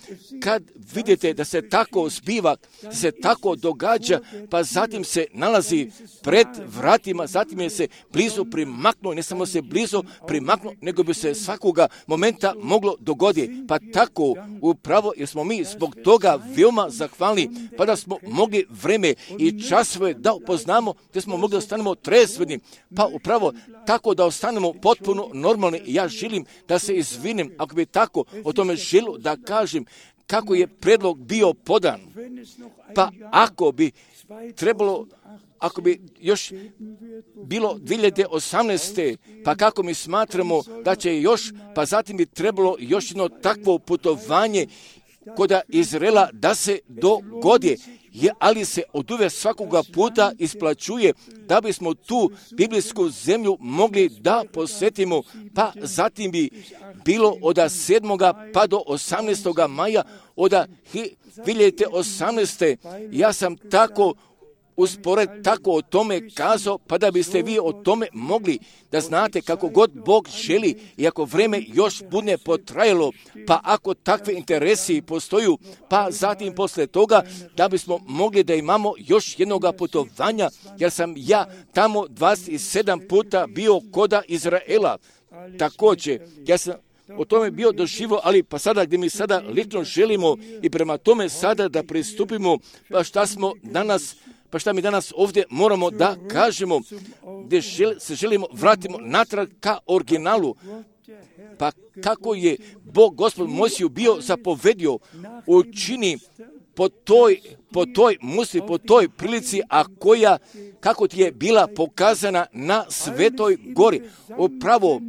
kad vidite da se tako zbiva, da se tako događa, pa zatim se nalazi pred vratima, zatim je se blizu primaknuo, ne samo se blizu primaknuo, nego bi se svakoga momenta moglo dogoditi. Pa tako upravo, jer smo mi zbog toga veoma zahvalni, pa da smo mogli vreme i časove da upoznamo, gdje smo mogli da ostanemo tresveni, pa upravo tako da ostanemo potpuno normalni. Ja želim da se izvinim, ako bi tako o tome želio da kažem, kako je predlog bio podan. Pa ako bi trebalo, ako bi još bilo 2018. pa kako mi smatramo da će još, pa zatim bi trebalo još jedno takvo putovanje kod Izraela da se dogodi, ali se oduvijek svakoga puta isplaćuje da bismo tu biblijsku zemlju mogli da posjetimo, pa zatim bi bilo od 7. pa do 18. maja od 2018. Ja sam tako uspored tako o tome kazao, pa da biste vi o tome mogli da znate kako god Bog želi i ako vreme još bude potrajalo, pa ako takve interesi postoju, pa zatim posle toga da bismo mogli da imamo još jednoga putovanja, jer sam ja tamo 27 puta bio koda Izraela. Također, ja sam o tome bio doživio, ali pa sada gdje mi sada lično želimo i prema tome sada da pristupimo, pa šta mi danas ovdje moramo da kažemo, gdje se želimo vratimo natrag ka originalu, pa kako je Bog Gospod Mojsiju bio zapovedio, učini po toj musli, po toj prilici, a koja, kako ti je bila pokazana na Svetoj gori, upravo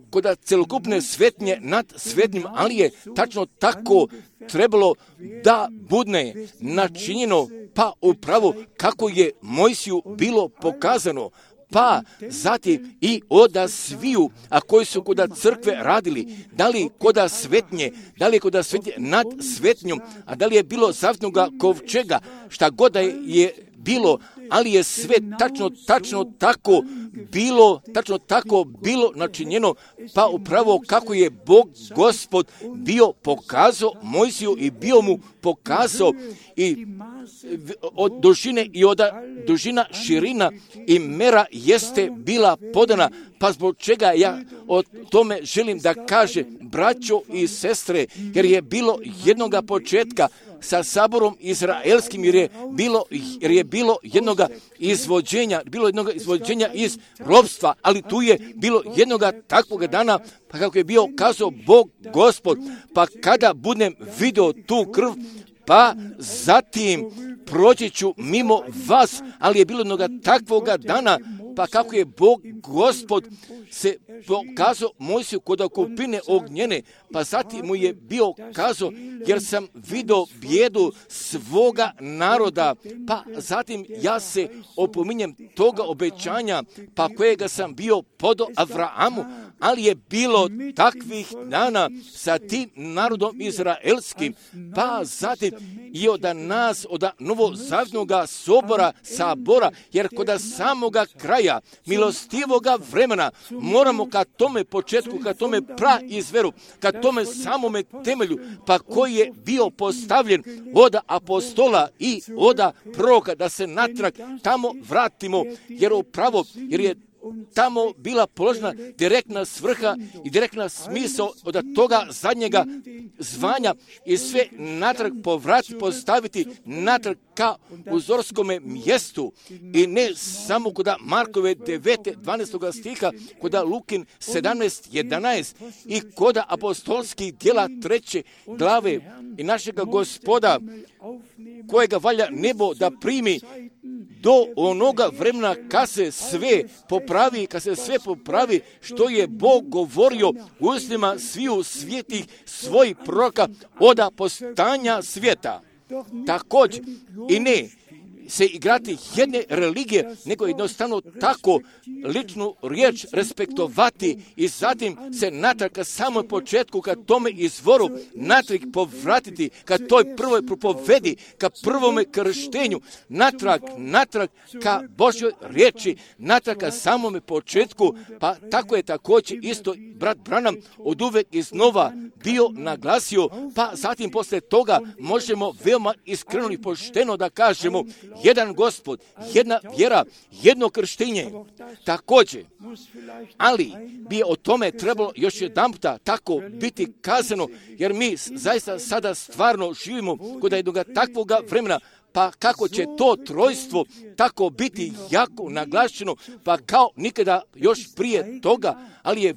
kod celokupne svetnje nad svetnim, ali je tačno tako trebalo da bude načinjeno, pa upravo kako je Mojsiju bilo pokazano, pa zatim i od sviju, a koji su kod crkve radili, da li kod svetnje, da li kod svetnje nad svetnjom, a da li je bilo zavjetnoga kovčega, šta god je bilo, ali je sve tačno tako bilo načinjeno, pa upravo kako je Bog Gospod bio pokazao Mojsiju i bio mu pokazao i od dužine i od dužina, širina i mera jeste bila podana, pa zbog čega ja o tome želim da kažem, braćo i sestre, jer je bilo jednoga početka sa saborom izraelskim, jer je bilo jednoga izvođenja iz ropstva, ali tu je bilo jednoga takvoga dana, pa kako je bio kazao Bog Gospod, pa kada budem vidio tu krv, pa zatim proći ću mimo vas, ali je bilo jednoga takvoga dana, pa kako je Bog Gospod se pokazao Mojsiju kod kupine ognjene, pa zatim mu je bio kazao, jer sam vidio bijedu svoga naroda, pa zatim ja se opominjem toga obećanja, pa kojega sam bio podao Avrahamu, ali je bilo takvih dana sa tim narodom izraelskim, pa zatim i od nas, od novozavjetnoga sabora, jer kod samoga kraja milostivoga vremena moramo ka tome početku, ka tome praizveru, ka tome samome temelju, pa koji je bio postavljen od apostola i od proroka, da se natrag tamo vratimo, jer je tamo bila položena direktna svrha i direktna smisao od toga zadnjega zvanja i sve natrag postaviti natrag ka uzorskome mjestu i ne samo kod Markove 9. 12. stiha, kod Lukin 17. 11. i kod apostolskih djela 3. glave i našega Gospoda kojega valja nebo da primi do onoga vremena kad se sve popravi, što je Bog govorio u ustima sviju svetih svojih proroka od postanja svijeta. Također i ne se igrati jedne religije, nego jednostavno tako ličnu riječ respektovati i zatim se natrag ka samom početku, ka tome izvoru, natrag povratiti, ka toj prvoj propovedi, ka prvome krštenju, natrag ka Božjoj riječi, natrag ka samome početku, pa tako je također isto brat Branham od uvek iznova bio naglasio, pa zatim posle toga možemo veoma iskreno i pošteno da kažemo jedan Gospod, jedna vjera, jedno krštenje. Također, ali bi o tome trebalo još jedan puta tako biti kazano, jer mi zaista sada stvarno živimo kod jednog takvoga vremena, pa kako će to trojstvo tako biti jako naglašeno, pa kao nikada još prije toga, ali je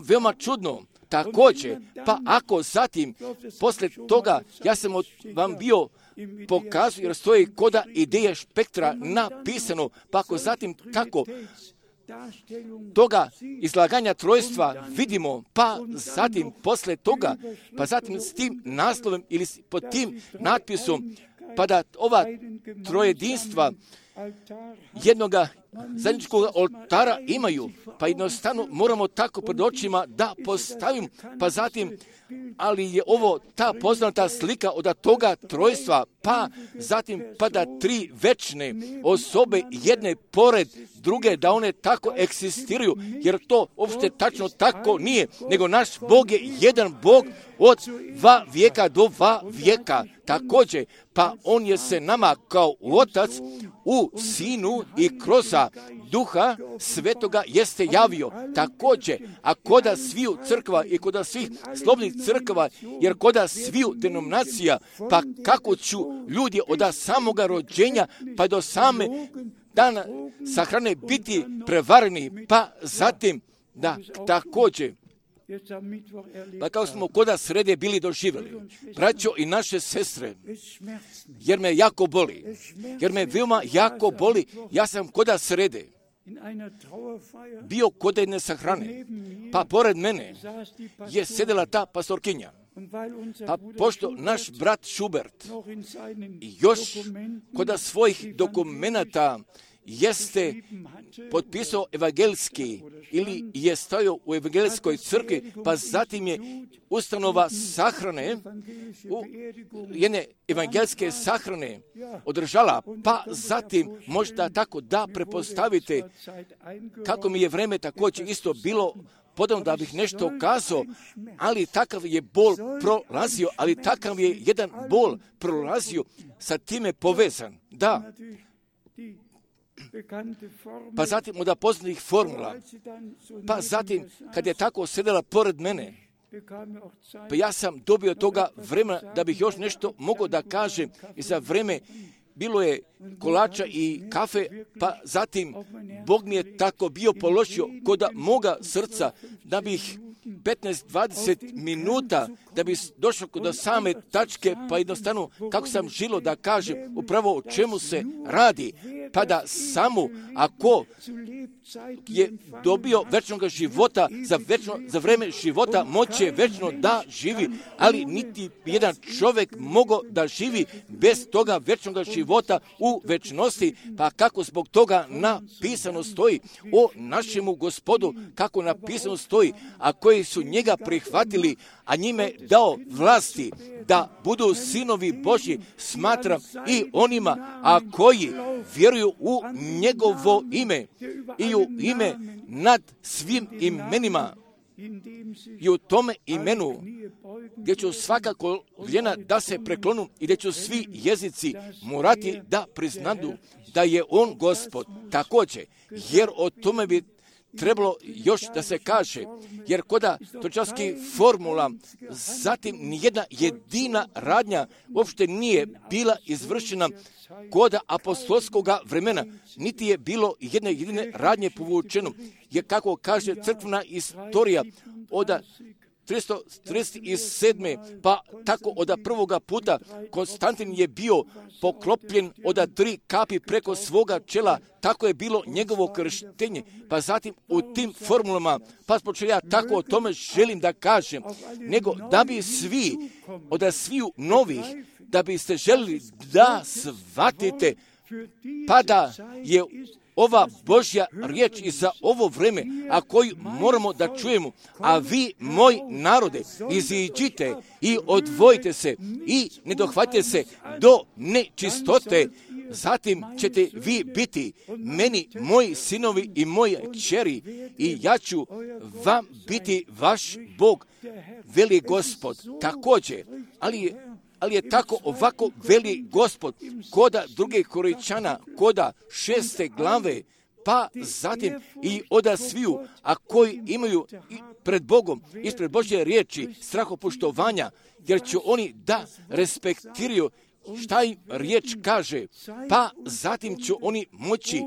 veoma čudno. Također, pa ako zatim, posle toga, ja sam vam bio pokazao, jer stoji koda ideje spektra napisano, pa ako zatim tako toga izlaganja trojstva vidimo, pa zatim posle toga, pa zatim s tim naslovem ili pod tim natpisom, pa da ova trojedinstva jednoga zajedničkog oltara imaju, pa jednostavno moramo tako pred očima da postavim, pa zatim, ali je ovo ta poznata slika od toga trojstva, pa zatim pa da tri večne osobe jedne pored druge, da one tako eksistiraju, jer to uopšte tačno tako nije, nego naš Bog je jedan Bog od 2 vijeka do 2 vijeka. Također, pa on je se nama kao otac u Sinu i kroz Duha Svetoga jeste javio. Također, a koda sviju crkva i koda svih slobodnih crkva, jer koda sviju denominacija, pa kako ću ljudi od samoga rođenja pa do same dana sahrane biti prevareni, pa zatim da također, pa kao smo koda srede bili doživjeli, braćo i naše sestre, jer me jako boli, jer me veoma jako boli, ja sam koda srede bio kod jedne sahrane, pa pored mene je sedela ta pastorkinja. Pa pošto naš brat Schubert još kod svojih dokumenata jeste potpisao evangelski ili je stajao u evangelskoj crkvi, pa zatim je ustanova sahrane, jedne evangelske sahrane održala, pa zatim možda tako da prepostavite kako mi je vreme također isto bilo podano da bih nešto kazao, ali takav je bol prolazio, ali takav je jedan bol prolazio sa time povezan. Da. Pa zatim od poznatih formula, pa zatim kad je tako sedela pored mene, pa ja sam dobio toga vremena da bih još nešto mogao da kažem i za vreme bilo je kolača i kafe, pa zatim Bog mi je tako bio položio kod moga srca da bih 15-20 minuta da bi došao do same tačke, pa jednostavno kako sam želio da kažem upravo o čemu se radi, pa da samo ako je dobio večnog života za vreme života moće večno da živi, ali niti jedan čovjek mogao da živi bez toga večnog života u večnosti, pa kako zbog toga napisano stoji o našemu Gospodu, kako napisano stoji, a koji su njega prihvatili, a njime dao vlasti da budu sinovi Božji, smatram i onima, a koji vjeruju u njegovo ime i u ime nad svim imenima i u tome imenu gdje ću svaka koljena da se preklonu i gdje ću svi jezici morati da priznadu da je on Gospod. Također, jer o tome bi trebalo još da se kaže, jer koda točarskih formula, zatim nijedna jedina radnja uopšte nije bila izvršena koda apostolskog vremena, niti je bilo jedne jedine radnje povučeno, jer kako kaže crkvena istorija od 337. pa tako od prvoga puta Konstantin je bio poklopljen od 3 kapi preko svoga čela, tako je bilo njegovo krštenje, pa zatim u tim formulama, pa počeo ja tako o tome želim da kažem, nego da bi svi, od sviju novih, da biste želili da shvatite, pa da je ova Božja riječ i za ovo vreme, a koju moramo da čujemo. A vi, moj narode, iziđite i odvojite se i ne dohvatite se do nečistote. Zatim ćete vi biti meni, moji sinovi i moje kćeri, i ja ću vam biti vaš Bog, veli Gospod. Također, ali je tako ovako veli Gospod, koda druge Korinćana, koda 6. glave, pa zatim i oda sviju, a koji imaju pred Bogom, ispred Božje riječi, strahopoštovanja, jer će oni da respektiraju šta im riječ kaže, pa zatim će oni moći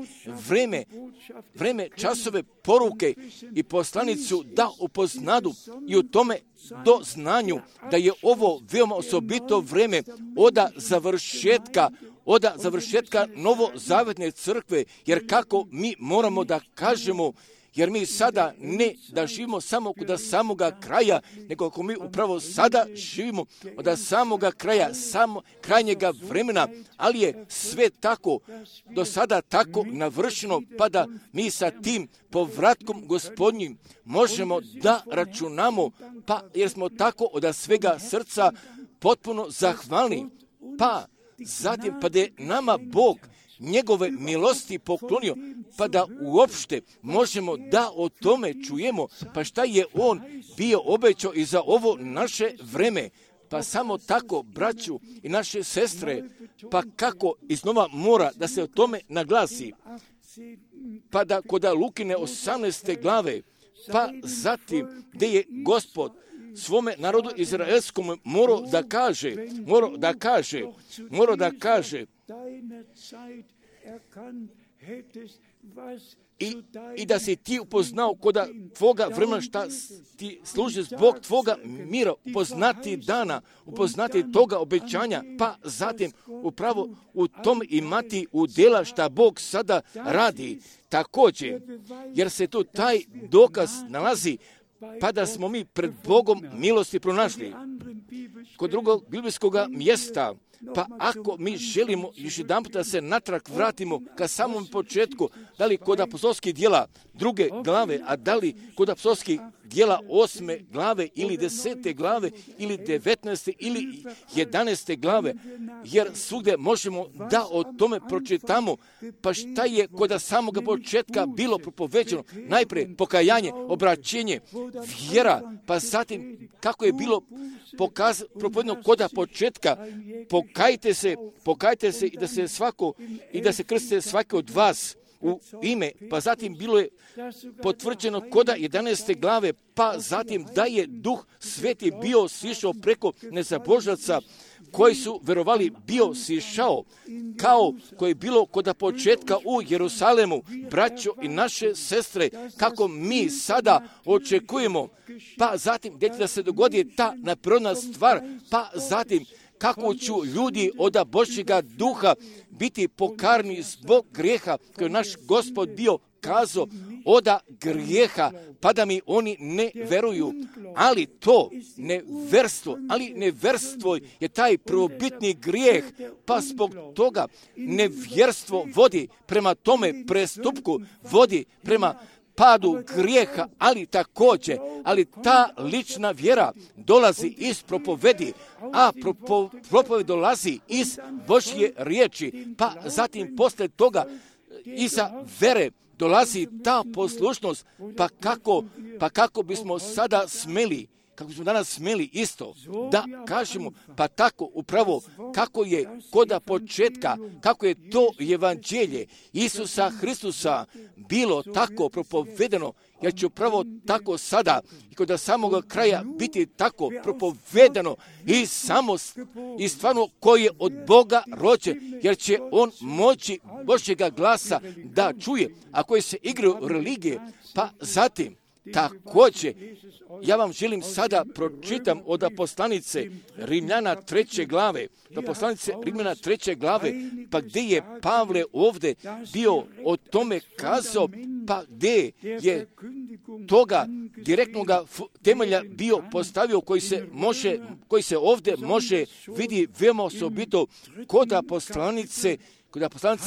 vreme, časove, poruke i poslanicu da upoznadu i u tome do znanju da je ovo veoma osobito vreme od završetka novozavetne crkve, jer kako mi moramo da kažemo, jer mi sada ne da živimo samo od samoga kraja, nego ako mi upravo sada živimo od samoga kraja, krajnjega vremena, ali je sve tako, do sada tako navršeno, pa da mi sa tim povratkom Gospodnjim možemo da računamo, pa jer smo tako od svega srca potpuno zahvalni, pa zatim pa da je nama Bog njegove milosti poklonio, pa da uopšte možemo da o tome čujemo, pa šta je on bio obećao i za ovo naše vreme. Pa samo tako, braću i naše sestre, pa kako iznova mora da se o tome naglasi, pa da kod Lukine 18. glave, pa zatim gdje je Gospod svome narodu izraelskom morao da kaže i da si ti upoznao koda tvoga vremena šta ti služi zbog tvoga mira, upoznati dana, upoznati toga obećanja, pa zatim upravo u tom imati udjela šta Bog sada radi. Također, jer se tu taj dokaz nalazi, pa da smo mi pred Bogom milosti pronašli. Kod drugog biblijskog mjesta, pa ako mi želimo još jedan puta se natrag vratimo ka samom početku, da li kod apostolskih djela 2. glave, a da li kod apostolskih djela 8. glave ili 10. glave ili 19. ili 11. glave, jer svugdje možemo da o tome pročitamo, pa šta je kod samoga početka bilo propoveđeno, najprije pokajanje, obraćenje, vjera, pa zatim kako je bilo propovedeno kod početka, pokajte se i da se krstite svaki od vas u ime, pa zatim bilo je potvrđeno koda 11. glave, pa zatim da je Duh Sveti bio sišao preko nezabožaca koji su verovali, bio sišao, kao koji je bilo kod početka u Jerusalemu, braćo i naše sestre, kako mi sada očekujemo, pa zatim gdje će da se dogodi ta neprirodna stvar, pa zatim kako će ljudi od Božjega duha biti pokarni zbog grijeha, koji je naš Gospod bio kazao, oda grijeha, pa da mi oni ne veruju. Ali to neverstvo je taj prvobitni grijeh, pa zbog toga nevjerstvo vodi prema tome prestupku, vodi prema padu grijeha, ali također, ta lična vjera dolazi iz propovedi, a propoved dolazi iz Božje riječi, pa zatim poslije toga iza vere dolazi ta poslušnost, pa kako bismo sada smeli, kako smo danas smeli isto da kažemo, pa tako upravo kako je koda početka, kako je to evanđelje Isusa Hristusa bilo tako propovedeno, jer će upravo tako sada i kod samog kraja biti tako propovedeno i stvarno koji je od Boga rođen, jer će on moći Božjega glasa da čuje, a koji se igraju religije, pa zatim također, ja vam želim sada pročitam od poslanice Rimljana 3. glave, pa gdje je Pavle ovdje bio o tome kazao, pa gdje je toga direktnog temelja bio postavio, koji se ovdje može vidi veoma osobito kod poslanice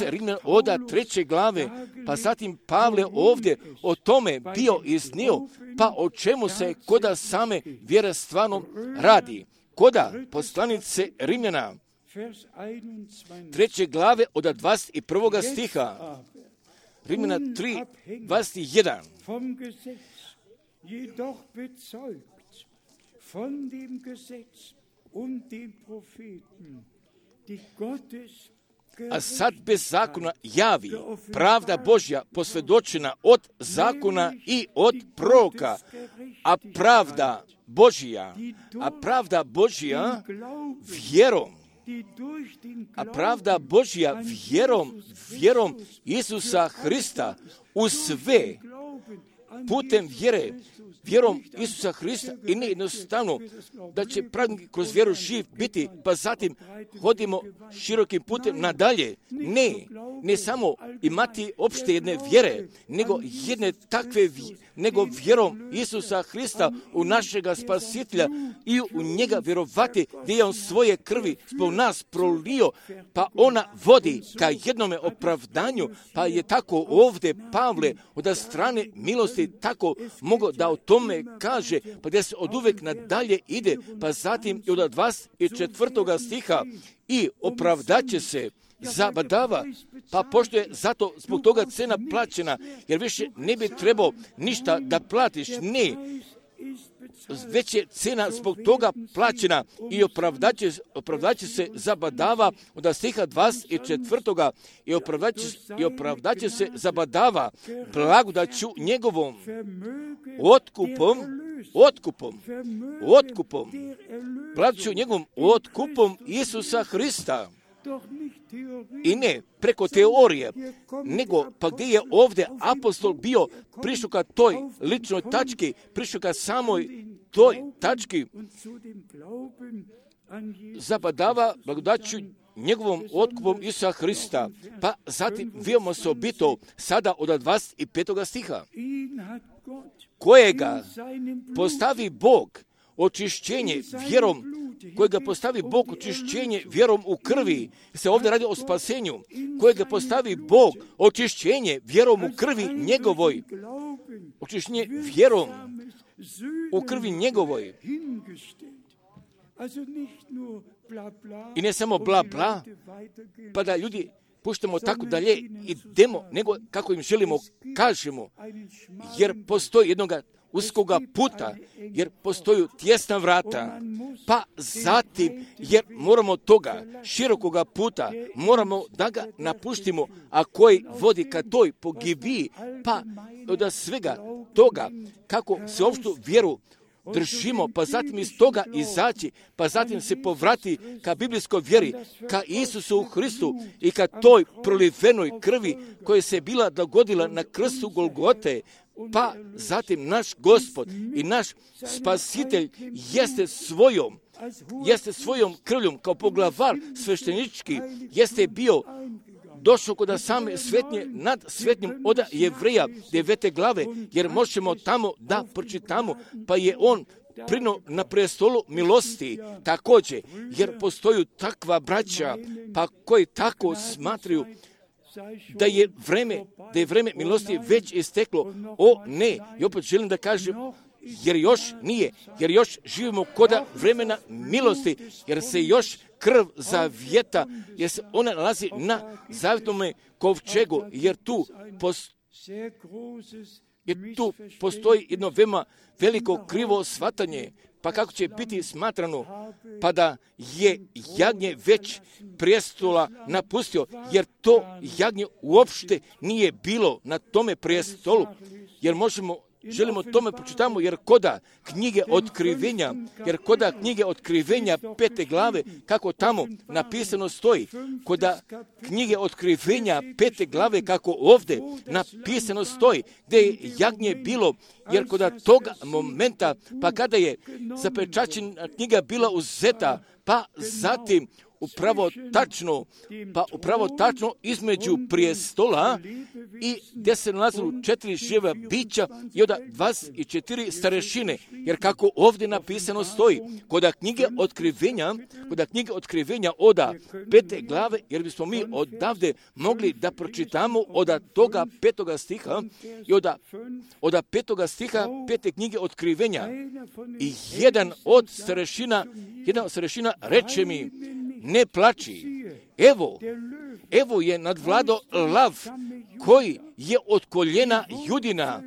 Rimljana od 3. glave, pa zatim Pavle ovdje o tome bio iznio, pa o čemu se koda same vjere stvarno radi. Koda poslanice Rimljana 3. glave od 21. stiha, Rimljana 3, 21. Jedoch bezeugt von dem Gesetz und den Propheten, die Gottes a sad bez zakona javi pravda Božja posvjedočena od zakona i od proroka, a pravda Božja vjerom, vjerom Isusa Hrista u sve, putem vjerom Isusa Hrista, i ne jednostavno da će pravnik kroz vjeru živ biti, pa zatim hodimo širokim putem nadalje. Ne samo imati opšte jedne vjere, nego vjerom Isusa Hrista u našega Spasitelja i u njega vjerovati gdje je on svoje krvi zbog nas prolio, pa ona vodi ka jednome opravdanju, pa je tako ovdje Pavle od strane milosti tako mogao da o tome kaže, pa gdje se od uvek nadalje ide, pa zatim i od 24. stiha i opravdaće se zabadava, pa pošto je zato zbog toga cena plaćena, jer više ne bi trebao ništa da platiš, ne, već je cena zbog toga plaćena i opravdaće se zabadava od stiha 24. i opravdaće se zabadava blagodaću njegovom otkupom, blagodaću njegovom otkupom Isusa Hrista. I ne preko teorije, nego pa gdje je ovdje apostol bio prišao ka toj ličnoj tački, prišao ka samoj toj tački, zabadava blagodaću njegovom otkupom Isusa Hrista, pa zatim veoma osobito sada od 25. stiha, kojega postavi Bog očišćenje vjerom u krvi, se ovdje radi o spasenju, kojega postavi Bog očišćenje vjerom u krvi njegovoj, očišćenje vjerom u krvi njegovoj. I ne samo bla bla, pa da ljudi puštamo tako dalje, idemo, nego kako im želimo kažemo, jer postoji jednoga uskoga puta, jer postoju tjesna vrata, pa zatim, jer moramo toga širokoga puta, moramo da ga napuštimo, a koji vodi ka toj pogibiji, pa od svega toga, kako se opštu vjeru držimo, pa zatim iz toga izaći, pa zatim se povrati ka biblijskoj vjeri, ka Isusu Hristu i ka toj prolivenoj krvi koja se bila dogodila na krstu Golgote, pa zatim naš Gospod i naš Spasitelj jeste svojom krvljom kao poglavar sveštenički, jeste bio došao kod same svetnje nad svetnjim od Jevreja 9. glave, jer možemo tamo da pročitamo, pa je on prino na prestolu milosti također, jer postoju takva braća, pa koji tako smatraju da je vreme milosti već isteklo. O ne, i opet želim da kažem, jer još živimo kod vremena milosti, jer se još krv zavjeta, jer se ona nalazi na zavjetnom kovčegu, jer tu postoji jedno veoma veliko krivo shvatanje, pa kako će biti smatrano, pa da je jagnje već prijestola napustio, jer to jagnje uopšte nije bilo na tome prijestolu, jer želimo tome pročitamo, jer koda knjige otkrivenja 5. glave, kako tamo napisano stoji, koda knjige otkrivenja 5. glave, kako ovdje napisano stoji, gdje je jagnje bilo, jer koda toga momenta, pa kada je zapečaćena knjiga bila uzeta, pa zatim upravo tačno između prijestola i gdje se nalazilo 4 živa bića i onda 24 starešine. Jer kako ovdje napisano stoji, kod knjige otkrivenja oda 5. glave, jer bismo mi odavde mogli da pročitamo od toga 5. stiha i od 5. stiha 5. knjige otkrivenja. I jedan od starešina reče mi, ne plači, evo je nadvlado lav koji je od koljena Judina,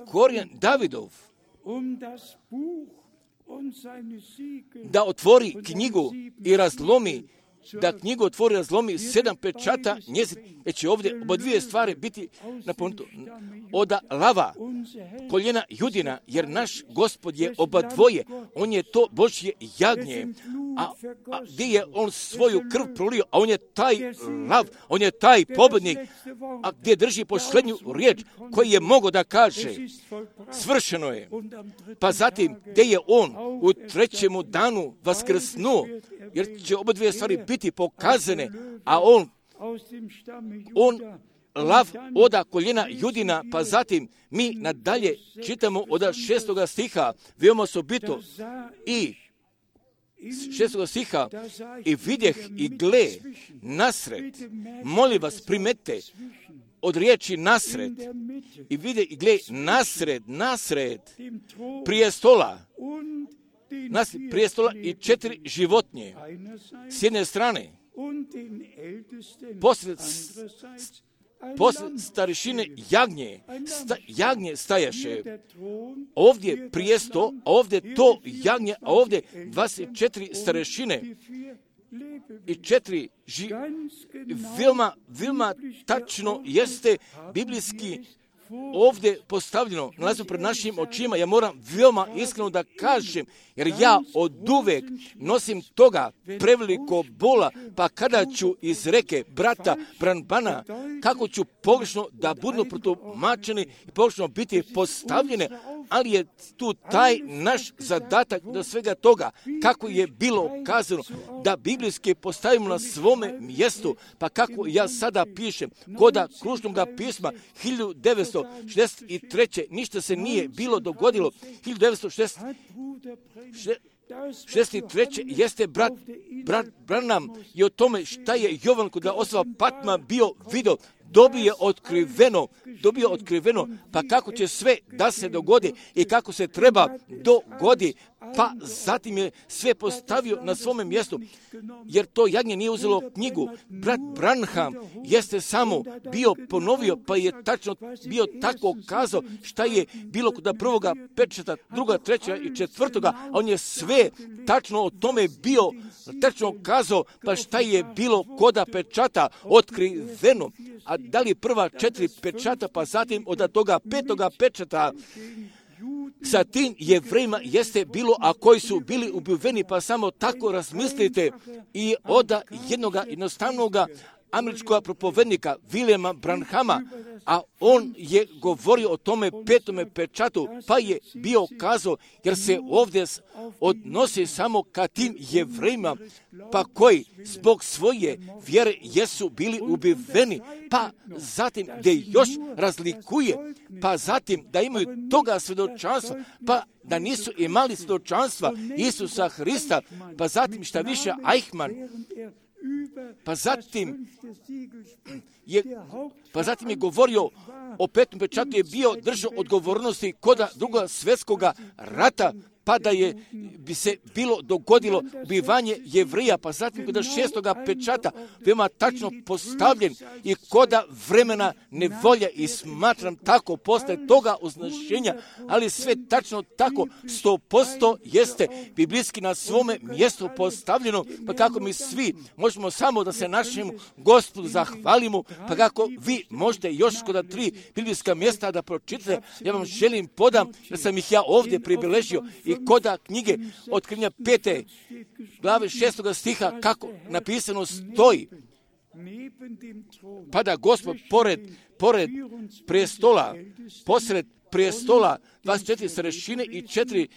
korijan Davidov, da otvori knjigu i razlomi, razlomi 7 pečata njezin. Već će ovdje oba dvije stvari biti napomenuto. Od lava, koljena Judina, jer naš Gospod je oba dvoje. On je to Božje jagnje. A gdje je on svoju krv prolio, a on je taj lav, on je taj pobjednik, a gdje drži posljednju riječ koji je mogao da kaže, svršeno je. Pa zatim, gdje je on u 3. danu vaskrsnuo, jer će oba dvije stvari biti pokazane, a on lav oda koljena Judina, pa zatim mi nadalje čitamo od 6. stiha, veoma osobito, i 6. stiha, i vidjeh i gle nasred, molim vas primete od riječi nasred, i vide i gle nasred prijestola i 4 životinje s jedne strane, posred starešine jagnje stajaše. Ovdje prijesto, a ovdje to jagnje, a ovdje 24 starešine i 4 veoma tačno jeste biblijski ovdje postavljeno, nalazi pred našim očima. Ja moram veoma iskreno da kažem, jer ja oduvek nosim toga preveliko bola, pa kada ću iz reke brata Branbana, kako ću pogrešno da budu protumačeni i pogrešno biti postavljene, ali je tu taj naš zadatak do svega toga, kako je bilo kazano, da biblijski postavimo na svome mjestu, pa kako ja sada pišem, koda kružnoga pisma 1963. ništa se nije bilo dogodilo. 1963. jeste brat Branham i o tome šta je Jovan kod osoba Patma bio video, dobio otkriveno, pa kako će sve da se dogodi i kako se treba dogodi, pa zatim je sve postavio na svome mjestu, jer to jagnje nije uzelo knjigu. Brat Branham jeste samo bio ponovio, pa je tačno bio tako kazao šta je bilo kod prvoga pečata, druga, treća i četvrtoga, a on je sve tačno o tome bio tačno kazao, pa šta je bilo koda pečata otkriveno. A da li prva 4 pečata, pa zatim od toga 5. pečata, sa tim Jevrejima jeste bilo, a koji su bili ubiveni, pa samo tako razmislite, i od jednoga jednostavnoga američkog propovednika Williama Branhama, a on je govorio o tome 5. pečatu, pa je bio kazao, jer se ovdje odnosi samo ka tim Jevrejima, pa koji zbog svoje vjere jesu bili ubiveni, pa zatim gdje još razlikuje, pa zatim da imaju toga svjedočanstva, pa da nisu imali svjedočanstva Isusa Hrista, pa zatim šta više Eichmann, pa zatim je govorio o 5. pečatu, je bio držao odgovornosti kod Drugog svjetskog rata, pa da bi se bilo dogodilo ubivanje Jevrija, pa zatim kod 6. pečata veoma tačno postavljen i kod vremena nevolja, i smatram tako posle toga označenja, ali sve tačno tako 100% jeste biblijski na svome mjestu postavljeno, pa kako mi svi možemo samo da se našemu Gospodu zahvalimo, pa kako vi možete još kod 3 biblijska mjesta da pročitate, ja vam želim podam, jer sam ih ja ovdje pribeležio, i koda knjige Otkrivenja 5. glave 6. stiha, kako napisano stoji, pa da Gospod pored prestola, posred prijestola, 24 starešine i 4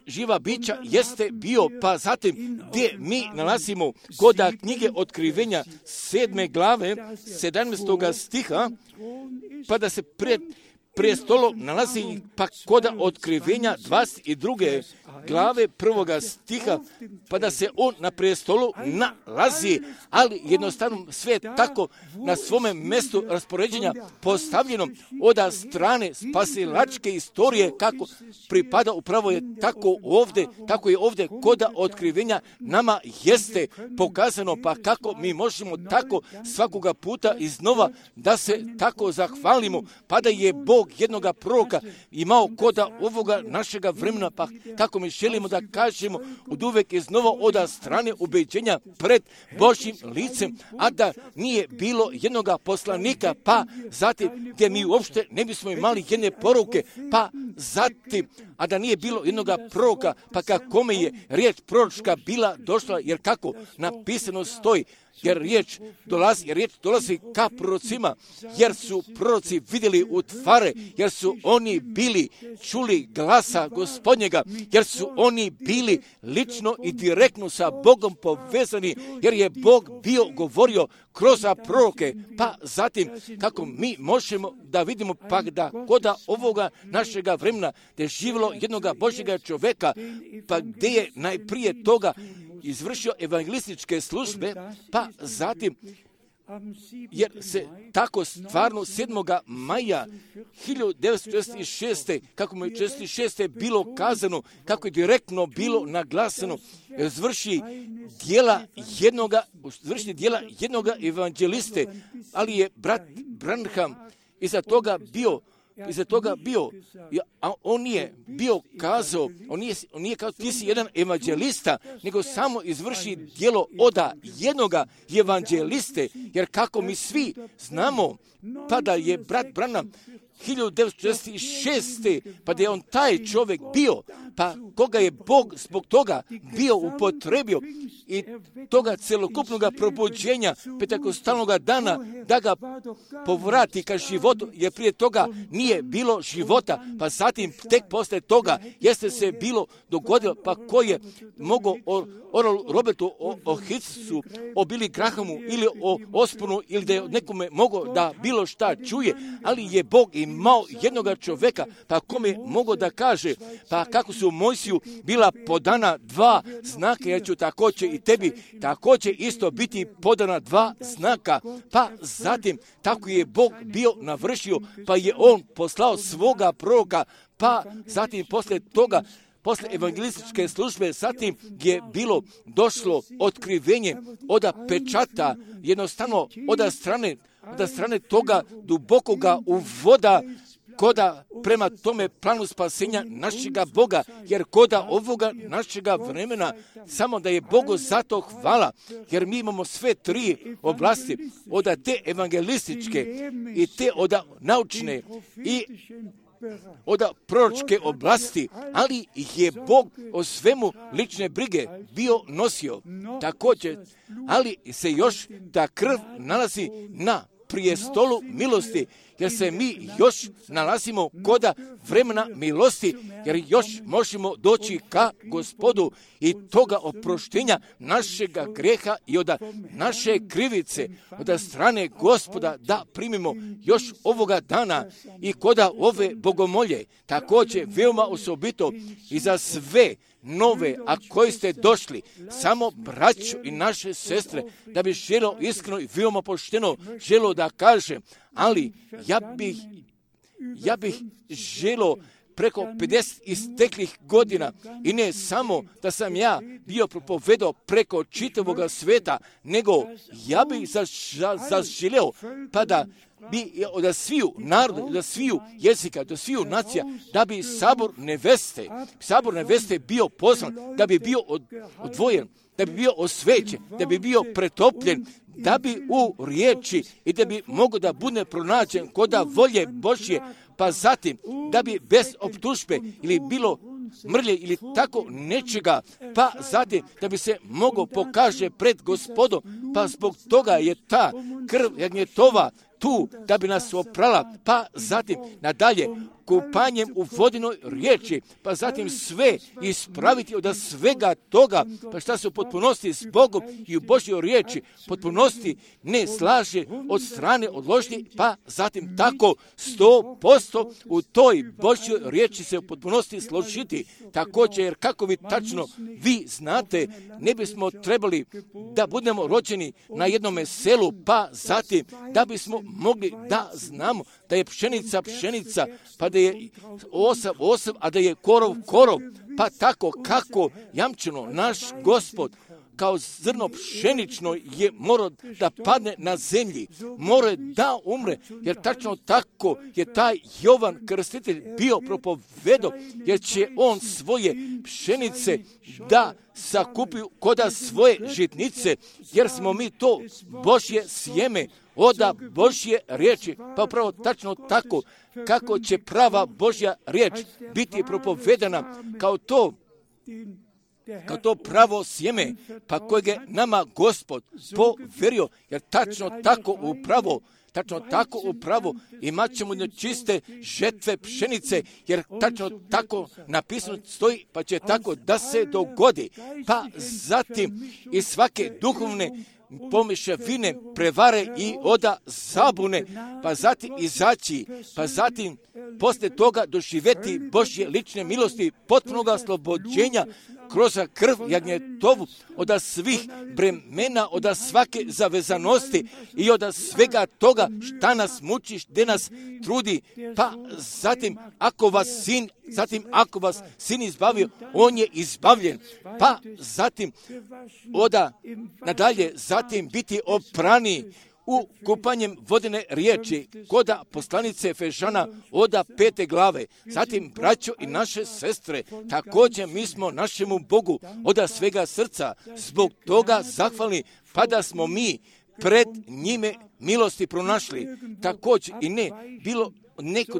živa bića jeste bio, pa zatim gdje mi nalazimo kod knjige Otkrivenja 7. glave 17. stiha, pa da se pred prijestolom nalazi pa kod Otkrivenja 22. glave 1. stiha, pa da se on na prijestolu nalazi, ali jednostavno sve tako na svome mjestu raspoređenja postavljeno od strane spasilačke istorije kako pripada, upravo je tako je ovdje kod Otkrivenja nama jeste pokazano, pa kako mi možemo tako svakoga puta iznova da se tako zahvalimo, pa da je Bog jednoga proroka imao kod ovoga našega vremena, pa kako mi želimo da kažemo od uvek iznova od strane ubeđenja pred Božjim licem, a da nije bilo jednoga poslanika, pa zatim gdje mi uopšte ne bismo imali jedne poruke, pa zatim, a da nije bilo jednoga proroka, pa kakome je riječ proročka bila došla, jer kako napisano stoji, jer riječ dolazi ka prorocima, jer su proroci vidjeli u tvare, jer su oni bili čuli glasa Gospodnjega, jer su oni bili lično i direktno sa Bogom povezani, jer je Bog bio govorio kroz proroke, pa zatim kako mi možemo da vidimo pa da kod ovoga našega vremena gdje je živjelo jednoga Božjega čovjeka, pa gdje je najprije toga izvršio evangelističke službe, pa zatim, jer se tako stvarno 7. maja 1946. kako mu je 1946. bilo kazano, kako je direktno bilo naglaseno, izvrši dijela jednoga evanđeliste, ali je brat Branham iza toga bio, a on nije bio kazao, on nije kao ti si jedan evanđelista, nego samo izvrši djelo oda jednoga evanđeliste, jer kako mi svi znamo, pa da je brat Branham 1946. pa da je on taj čovjek bio, pa koga je Bog zbog toga bio upotrebio i toga celokupnog probuđenja petakostalnog dana da ga povrati ka životu, jer prije toga nije bilo života, pa zatim tek posle toga jeste se bilo dogodilo, pa ko je mogao o Robertu, o Hitsu, o Billy Grahamu ili o Ospunu ili da je nekome mogao da bilo šta čuje, ali je Bog imao jednoga čovjeka, pa kome je mogao da kaže, pa kako su Mojsiju bila podana 2 znaka, ja ću također i tebi također isto biti podana 2 znaka, pa zatim tako je Bog bio navršio, pa je on poslao svoga proroka, pa zatim posle toga, posle evangelističke službe, zatim je bilo došlo otkrivenje od pečata, jednostavno od strane toga dubokoga uvoda koda prema tome planu spasenja našega Boga, jer koda ovoga našega vremena, samo da je Bogu zato hvala, jer mi imamo sve 3 oblasti, od te evangelističke i te od naučne i od proročke oblasti, ali je Bog o svemu lične brige bio nosio. Također, ali se još ta krv nalazi na prijestolu milosti, jer se mi još nalazimo kod vremena milosti, jer još možemo doći ka Gospodu i toga oproštenja našega greha i od naše krivice, od strane Gospoda da primimo još ovoga dana i kod ove bogomolje, također veoma osobito i za sve nove, a koji ste došli, samo braću i naše sestre, da bi želo iskreno i veoma pošteno želo da kažem, ali ja bih želo preko 50 isteklih godina i ne samo da sam ja bio propovedao preko čitavog sveta, nego ja bih zaželeo pa da bi od sviju naroda, od sviju jezika, od sviju nacija, da bi sabor neveste bio pozvan, da bi bio odvojen, da bi bio osvećen, da bi bio pretopljen, da bi u riječi i da bi mogao da bude pronađen kod volje Božje, pa zatim da bi bez optužbe ili bilo mrlje ili tako nečega, pa zatim da bi se mogao pokaže pred Gospodom, pa zbog toga je ta krv jagnjetova tu da bi nas oprala, pa zatim nadalje kupanjem u vodinoj riječi, pa zatim sve ispraviti od svega toga, pa šta se u potpunosti s Bogom i u Božjoj riječi potpunosti ne slaže od strane odložnje, pa zatim tako 100% u toj Božjoj riječi se u potpunosti složiti. Također, jer kako vi tačno vi znate, ne bismo trebali da budemo rođeni na jednome selu, pa zatim da bismo mogli da znamo da je pšenica, pa da je osav, a da je korov, pa tako kako jamčeno naš Gospod kao zrno pšenično je morao da padne na zemlji, morao da umre, jer tačno tako je taj Jovan Krstitelj bio propovedo, jer će on svoje pšenice da sakupi koda svoje žitnice, jer smo mi to Božje sjeme, oda Božje riječi, pa upravo tačno tako kako će prava Božja riječ biti propovedana kao to pravo sjeme, pa kojeg je nama Gospod poverio, jer tačno tako upravo imat ćemo čiste žetve pšenice, jer tačno tako napisano stoji, pa će tako da se dogodi. Pa zatim i svake duhovne pomješavine, prevare i oda zabune, pa zatim izaći, pa zatim poslije toga doživjeti Božje lične milosti, potpunog oslobođenja kroz krv jagnjetovu, od svih bremena, od svake zavezanosti i od svega toga šta nas muči, gdje nas trudi, pa zatim ako vas sin izbavio, on je izbavljen, pa zatim nadalje, zatim biti oprani u kupanjem vodene riječi, koda poslanice Efežana oda 5. glave. Zatim, braćo i naše sestre, također mi smo našemu Bogu oda svega srca zbog toga zahvalni, pa da smo mi pred njime milosti pronašli. Također i ne bilo neko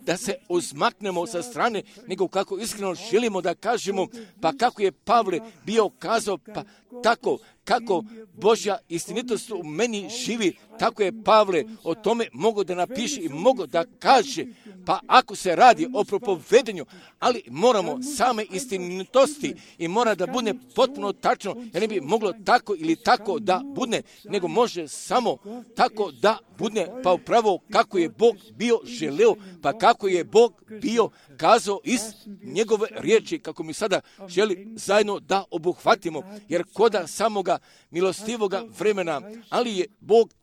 da se uzmaknemo sa strane, nego kako iskreno želimo da kažemo, pa kako je Pavle bio kazao, pa tako kako Božja istinitost u meni živi, tako je Pavle o tome mogao da napiše i mogao da kaže, pa ako se radi o propovedanju, ali moramo same istinitosti i mora da bude potpuno tačno, jer ne bi moglo tako ili tako da bude, nego može samo tako da bude, pa upravo kako je Bog bio želeo, pa kako je Bog bio kazao iz njegove riječi, kako mi sada želi zajedno da obuhvatimo, jer koda samoga milostivoga vremena, ali je Bog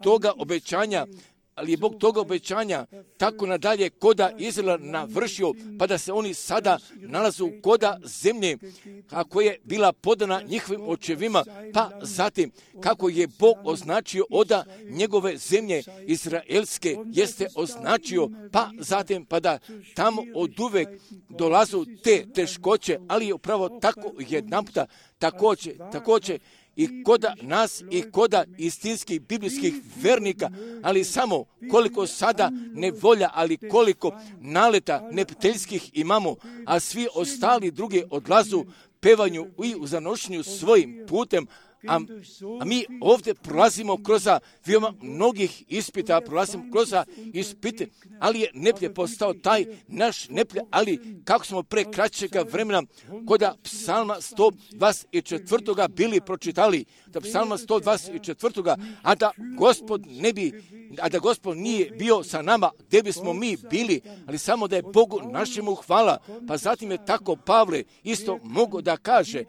toga obećanja tako nadalje koda Izraela navršio, pa da se oni sada nalazu koda zemlje kako je bila podana njihovim očevima, pa zatim kako je Bog označio oda njegove zemlje izraelske jeste označio, pa zatim pa da tamo oduvek dolazu te teškoće, ali je upravo tako jedanputa također i koda nas i koda istinskih biblijskih vernika, ali samo koliko sada nevolja, ali koliko naleta neprijateljskih imamo, a svi ostali drugi odlazu pevanju i u zanošenju svojim putem, a mi ovdje prolazimo kroz veoma mnogih ispita, prolazimo kroz ispite, ali je neplje postao taj naš neplje, ali kako smo pre kraćega vremena koda psalma 124. bili pročitali, da psalma 124. a da Gospod nije bio sa nama, gdje bismo mi bili, ali samo da je Bogu našemu hvala, pa zatim je tako Pavle isto mogao da kaže,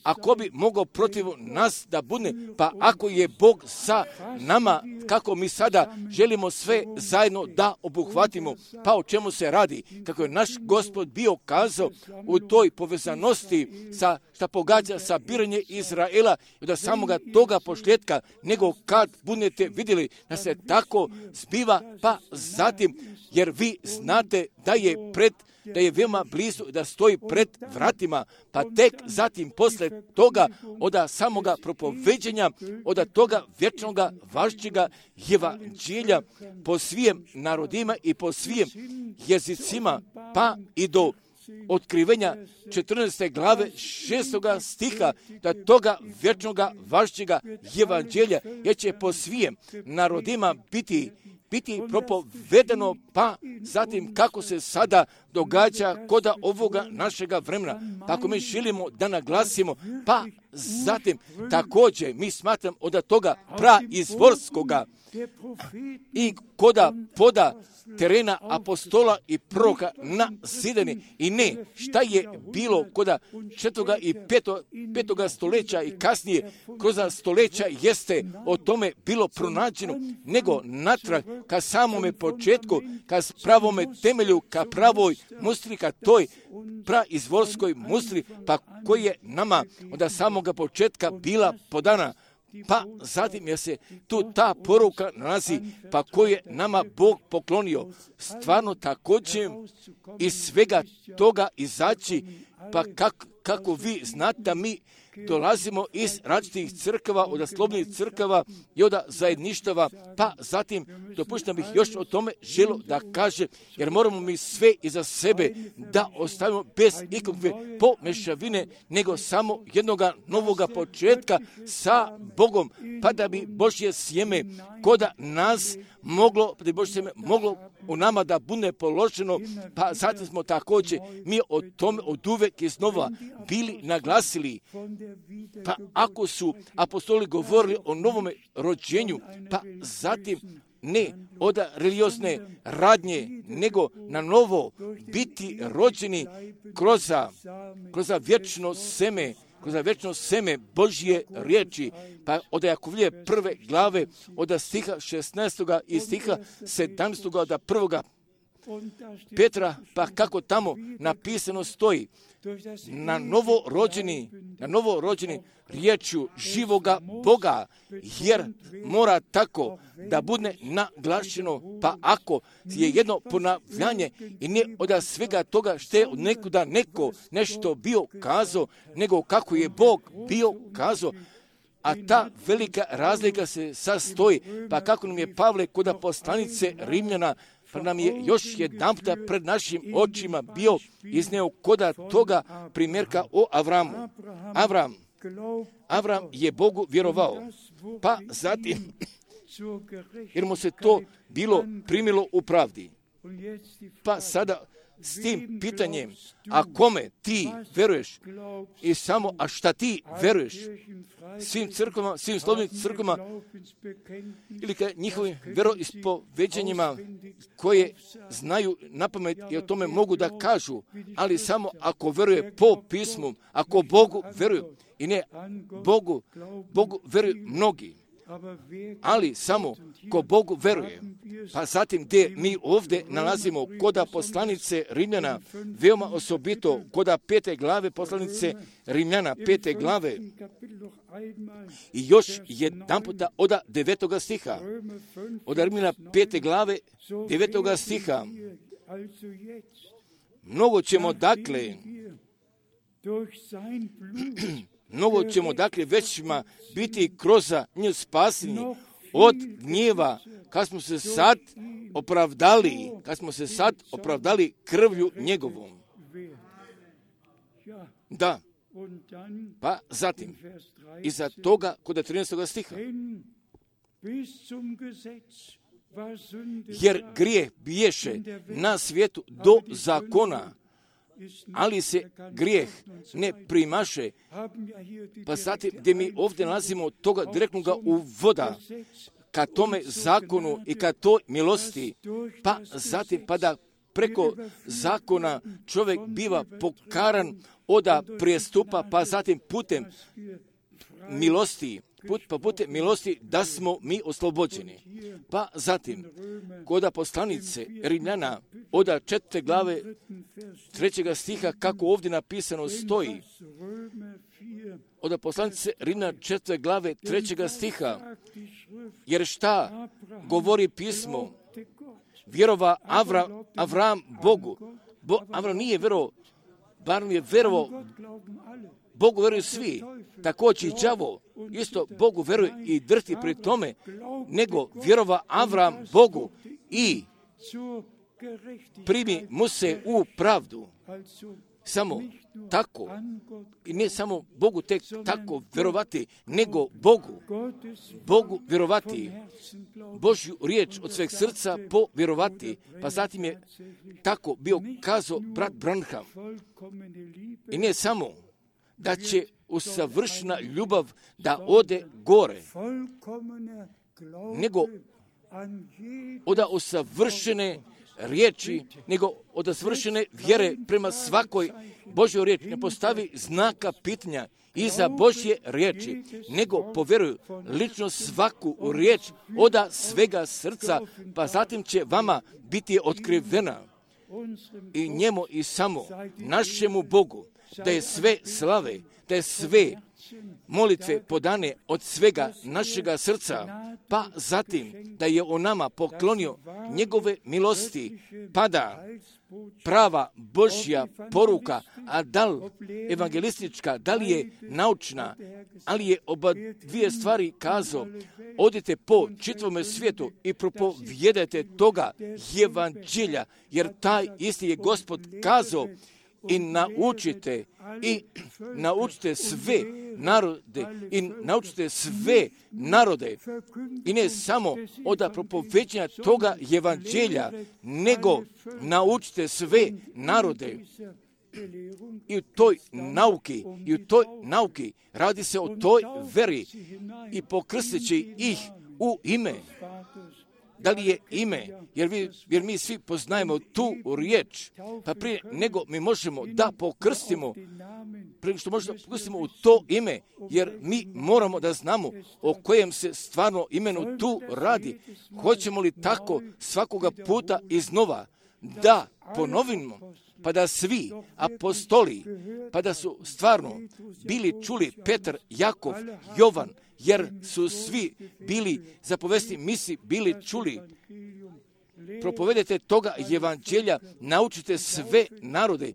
ako bi mogao protiv nas da bude, pa ako je Bog sa nama, kako mi sada želimo sve zajedno da obuhvatimo, pa o čemu se radi, kako je naš Gospod bio kazao u toj povezanosti šta pogađa sa biranje Izraela i da samoga toga pošljetka, nego kad budete vidjeli da se tako zbiva, pa zatim, jer vi znate da je veoma blizu, da stoji pred vratima, pa tek zatim posle toga od samoga propoveđenja, od toga vječnoga važćega evanđelja po svim narodima i po svim jezicima, pa i do otkrivenja 14. glave 6. stiha, da toga vječnoga važćega evanđelja, jer će po svim narodima biti biti propovedeno, pa zatim kako se sada događa kod ovoga našega vremena. Pa ako mi želimo da naglasimo, pa zatim također mi smatram od toga praizvorskoga i koda poda terena apostola i proroka na zidani. I ne, šta je bilo koda 4. i 5. stoljeća i kasnije kroz stoljeća jeste o tome bilo pronađeno, nego natrag ka samome početku, ka pravome temelju, ka pravoj mustri, ka toj praizvorskoj mustri, pa koji je nama od samoga početka bila podana. Pa zatim je se tu ta poruka nalazi, pa koju je nama Bog poklonio. Stvarno također iz svega toga izaći, pa kako vi znate da mi dolazimo iz različitih crkava, od slobodnih crkava i od zajedništava, pa zatim dopuštam bih još o tome želo da kaže, jer moramo mi sve iza sebe da ostavimo bez ikakve pomešavine, nego samo jednoga novoga početka sa Bogom, pa da bi Božje sjeme koda nas moglo u nama da bude položeno, pa zatim smo također mi o tome od uvek iznova bili naglasili. Pa ako su apostoli govorili o novome rođenju, pa zatim ne od religiozne radnje, nego na novo biti rođeni kroz vječno seme Božje riječi. Pa od Jakovlje prve glave, od stiha 16. i stiha 17. od 1. Petra, pa kako tamo napisano stoji, na novo rođeni riječju živoga Boga, jer mora tako da bude naglašeno, pa ako je jedno ponavljanje i ne od svega toga što je od nekuda neko nešto bio kazao, nego kako je Bog bio kazao, a ta velika razlika se sastoji, pa kako nam je Pavle kod poslanice Rimljana, pa nam je još jedanputa pred našim očima bio izneo koda toga primjerka o Avramu. Avram je Bogu vjerovao, pa zatim, jer mu se to bilo primilo u pravdi. Pa sada s tim pitanjem, a kome ti veruješ i samo, a šta ti veruješ svim crkvama, svim slobodnim crkvama ili ka njihovim veroispoveđenjima koje znaju napamet i o tome mogu da kažu, ali samo ako veruje po pismu, ako Bogu veruju i ne Bogu veruju mnogi. Ali samo ko Bogu veruje. Pa zatim gdje mi ovdje nalazimo koda poslanice Rimljana, veoma osobito koda 5. glave poslanice Rimljana, 5. glave i još jedan puta od 9. stiha. Od Rimljana 5. glave 9. stiha. Mnogo ćemo dakle većima biti kroz nju spaseni od gnjeva, kad smo se sad opravdali krvlju njegovom. Da. Pa zatim, iza toga kod 13. stiha. Jer grijeh biješe na svijetu do zakona, ali se grijeh ne primaše. Pa zatim gdje mi ovdje nalazimo toga direktnoga uvoda ka tome zakonu i ka toj milosti, pa zatim pa da preko zakona čovjek biva pokaran od prijestupa, pa zatim putem milosti da smo mi oslobođeni. Pa zatim, kod poslanice Rimljana od 4. glave 3. stiha, kako ovdje napisano stoji, od poslanice Rimljana 4. glave 3. stiha, jer šta govori pismo? Vjerova Avram Bogu. Avram nije vjerovao, bar je vjerovao, Bogu vjeruju svi, također i đavo, isto Bogu vjeruje i drhti pri tome, nego vjerova Avram Bogu i primi mu se u pravdu. samo tako, i ne samo Bogu tek tako vjerovati, nego Bogu vjerovati, Božju riječ od sveg srca povjerovati. Pa zatim je tako bio kazao brat Branham. I ne samo da će usavršena ljubav da ode gore, nego od usavršene riječi, nego od savršene vjere prema svakoj Božjoj riječi. Ne postavi znaka pitanja iza Božje riječi, nego povjeruju lično svaku riječ od svega srca, pa zatim će vama biti otkrivena. I njemu i samo našemu Bogu da je sve slave, da je sve molitve podane od svega našega srca, pa zatim da je on nama poklonio njegove milosti, pa da prava Božja poruka, a da li evangelistička, da li je naučna, ali je oba dvije stvari kazao, odite po čitavome svijetu i propovijedajte toga evanđelja, jer taj isti je Gospod kazao, i naučite sve narode, i ne samo od propoveđenja toga evanđelja, nego naučite sve narode. I u toj nauki radi se o toj veri i pokrsteći ih u ime. Da li je ime, jer mi svi poznajemo tu riječ, pa prije nego mi možemo da pokrstimo, prije što možemo da pokrstimo u to ime, jer mi moramo da znamo o kojem se stvarno imenu tu radi. Hoćemo li tako svakoga puta iznova da ponovimo, pa da svi apostoli, pa da su stvarno bili čuli Petar, Jakov, Jovan, jer su svi bili zapovesti misi, bili čuli. Propovedete toga evanđelja, naučite sve narode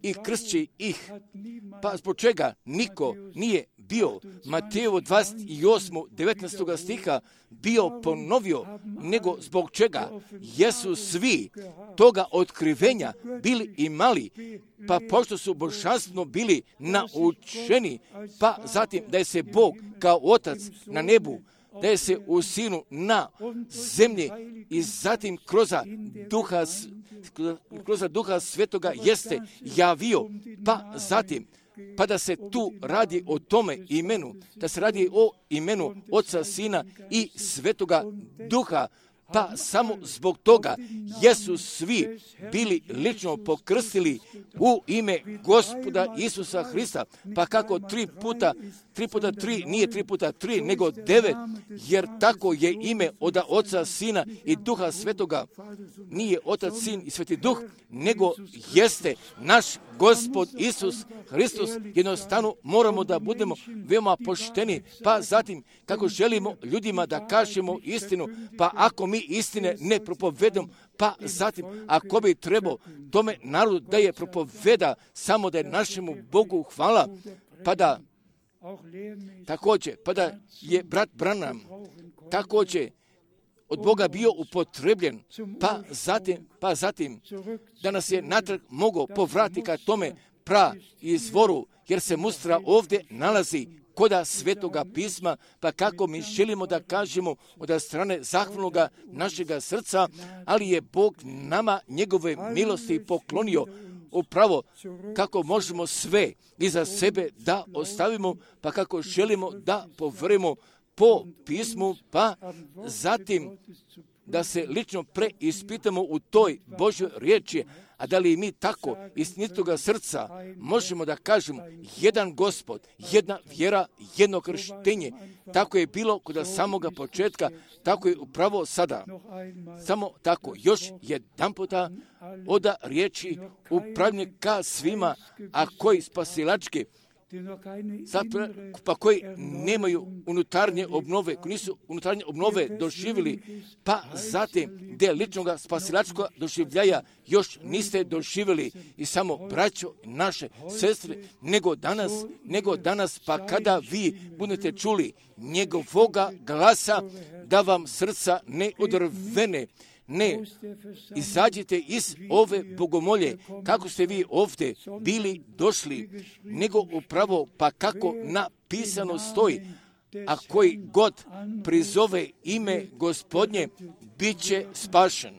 i kršće ih. Pa zbog čega niko nije bio Matejevo 28. 19. stiha bio ponovio, nego zbog čega jesu svi toga otkrivenja bili imali, pa pošto su božanstveno bili naučeni, pa zatim da je se Bog kao Otac na nebu, da je se u Sinu na zemlji i zatim kroz Duha Svetoga jeste javio, pa zatim pa da se tu radi o tome imenu, da se radi o imenu Oca, Sina i Svetoga Duha, pa samo zbog toga jesu svi bili lično pokrstili u ime Gospoda Isusa Hrista. Pa kako 3 puta 3 nije 3 puta 3, nego 9, jer tako je ime od Oca, Sina i Duha Svetoga. Nije Otac, Sin i Sveti Duh, nego jeste naš Gospod Isus Hristos. Jednostavno moramo da budemo veoma pošteni, pa zatim kako želimo ljudima da kažemo istinu, pa ako mi istine ne propovedemo, pa zatim ako bi trebao tome narodu da je propoveda samo da je našemu Bogu hvala, pa da također, pa da je brat Branham također od Boga bio upotrebljen, pa zatim da nas je natrag mogao povratiti ka tome izvoru, jer se mustra ovdje nalazi koda Svetoga pisma, pa kako mi želimo da kažemo od strane zahvalnoga našega srca, ali je Bog nama njegove milosti poklonio upravo kako možemo sve iza sebe da ostavimo, pa kako želimo da povremo po pismu, pa zatim da se lično preispitamo u toj Božjoj riječi, a da li mi tako istinitoga srca možemo da kažemo jedan Gospod, jedna vjera, jedno krštenje. Tako je bilo kod samoga početka, tako je upravo sada. Samo tako, još jedan puta od riječi upravljanje ka svima, a koji spasilački, pa koji nemaju unutarnje obnove, koji nisu unutarnje obnove doživjeli, pa zatim gdje ličnoga spasilačkog doživljaja još niste doživjeli. I samo braćo naše sestre, nego danas, pa kada vi budete čuli njegovoga glasa, da vam srca ne odrvene, Ne, izađite iz ove bogomolje, kako ste vi ovdje bili došli, nego upravo pa kako napisano stoji, a koji god prizove ime Gospodnje, bit će spašen.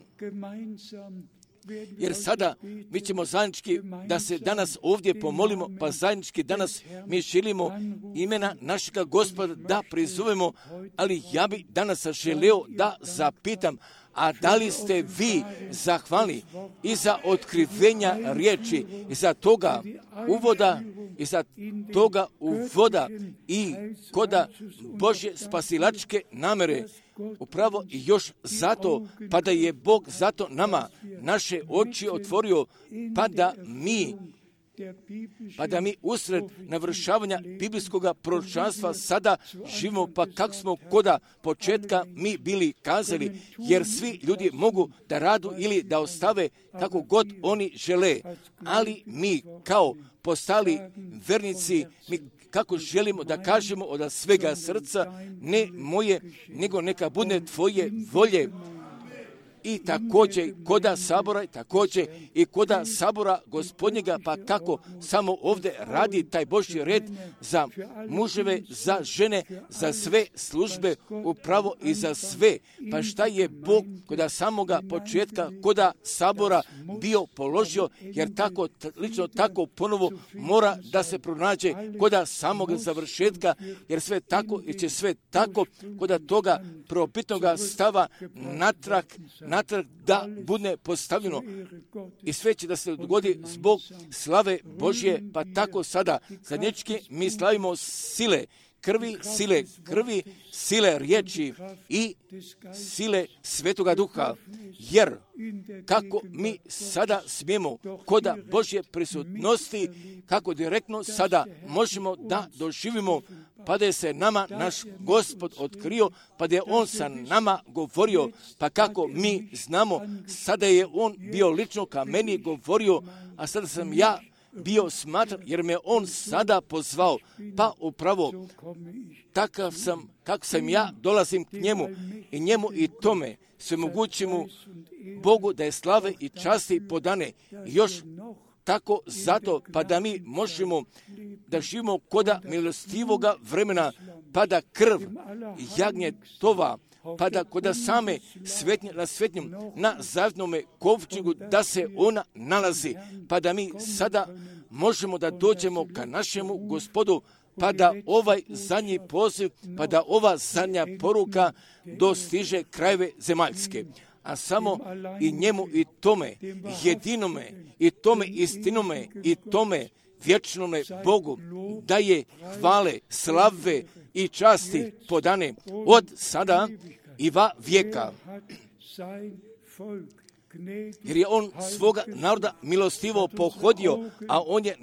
Jer sada mi ćemo zajednički da se danas ovdje pomolimo, pa zajednički danas mi želimo imena našega Gospoda da prizovemo, ali ja bi danas želeo da zapitam, a da li ste vi zahvalni i za otkrivenja riječi, i za toga uvoda, i za toga uvoda i koda Božje spasilačke namere, upravo i još zato, pa da je Bog zato nama naše oči otvorio, pa da mi usred navršavanja biblijskog proročanstva sada živimo, pa kako smo koda početka mi bili kazali, jer svi ljudi mogu da radu ili da ostave kako god oni žele, ali mi kao postali vernici, mi kako želimo da kažemo od svega srca, ne moje, nego neka bude tvoje volje. I također koda sabora, također i koda sabora Gospodnjega, pa kako samo ovdje radi taj Božji red za muževe, za žene, za sve službe, upravo i za sve. Pa šta je Bog koda samoga početka, koda sabora bio položio, jer tako, lično tako ponovo mora da se pronađe koda samog završetka, jer sve tako i će sve tako koda toga probitnoga stava natrag da bude postavljeno i sve će da se dogodi zbog slave Božje, pa tako sada zajednički mi slavimo sile krvi, sile riječi i sile Svetoga Duha, jer kako mi sada smijemo koda Božje prisutnosti, kako direktno sada možemo da doživimo, pa da je se nama naš Gospod otkrio, pa da je On sa nama govorio, pa kako mi znamo, sada je On bio lično ka meni govorio, a sada sam ja bio smatran, jer me On sada pozvao, pa upravo takav sam, kako sam ja, dolazim k njemu i tome svemogućemu Bogu da je slave i časti podane. Još tako zato, pa da mi možemo da živimo koda milostivoga vremena, pa da krv jagnjetova, pa da koda same svetnje na svetnjem, na zavjetnome kovčegu, da se ona nalazi, pa da mi sada možemo da dođemo ka našemu Gospodu, pa da ovaj zadnji poziv, pa da ova zadnja poruka dostiže krajeve zemaljske. A samo i njemu i tome jedinome, i tome istinome, i tome vječnome Bogu daje hvale, slave i časti podane od sada i va vijeka. Jer je On svoga naroda milostivo pohodio, a On je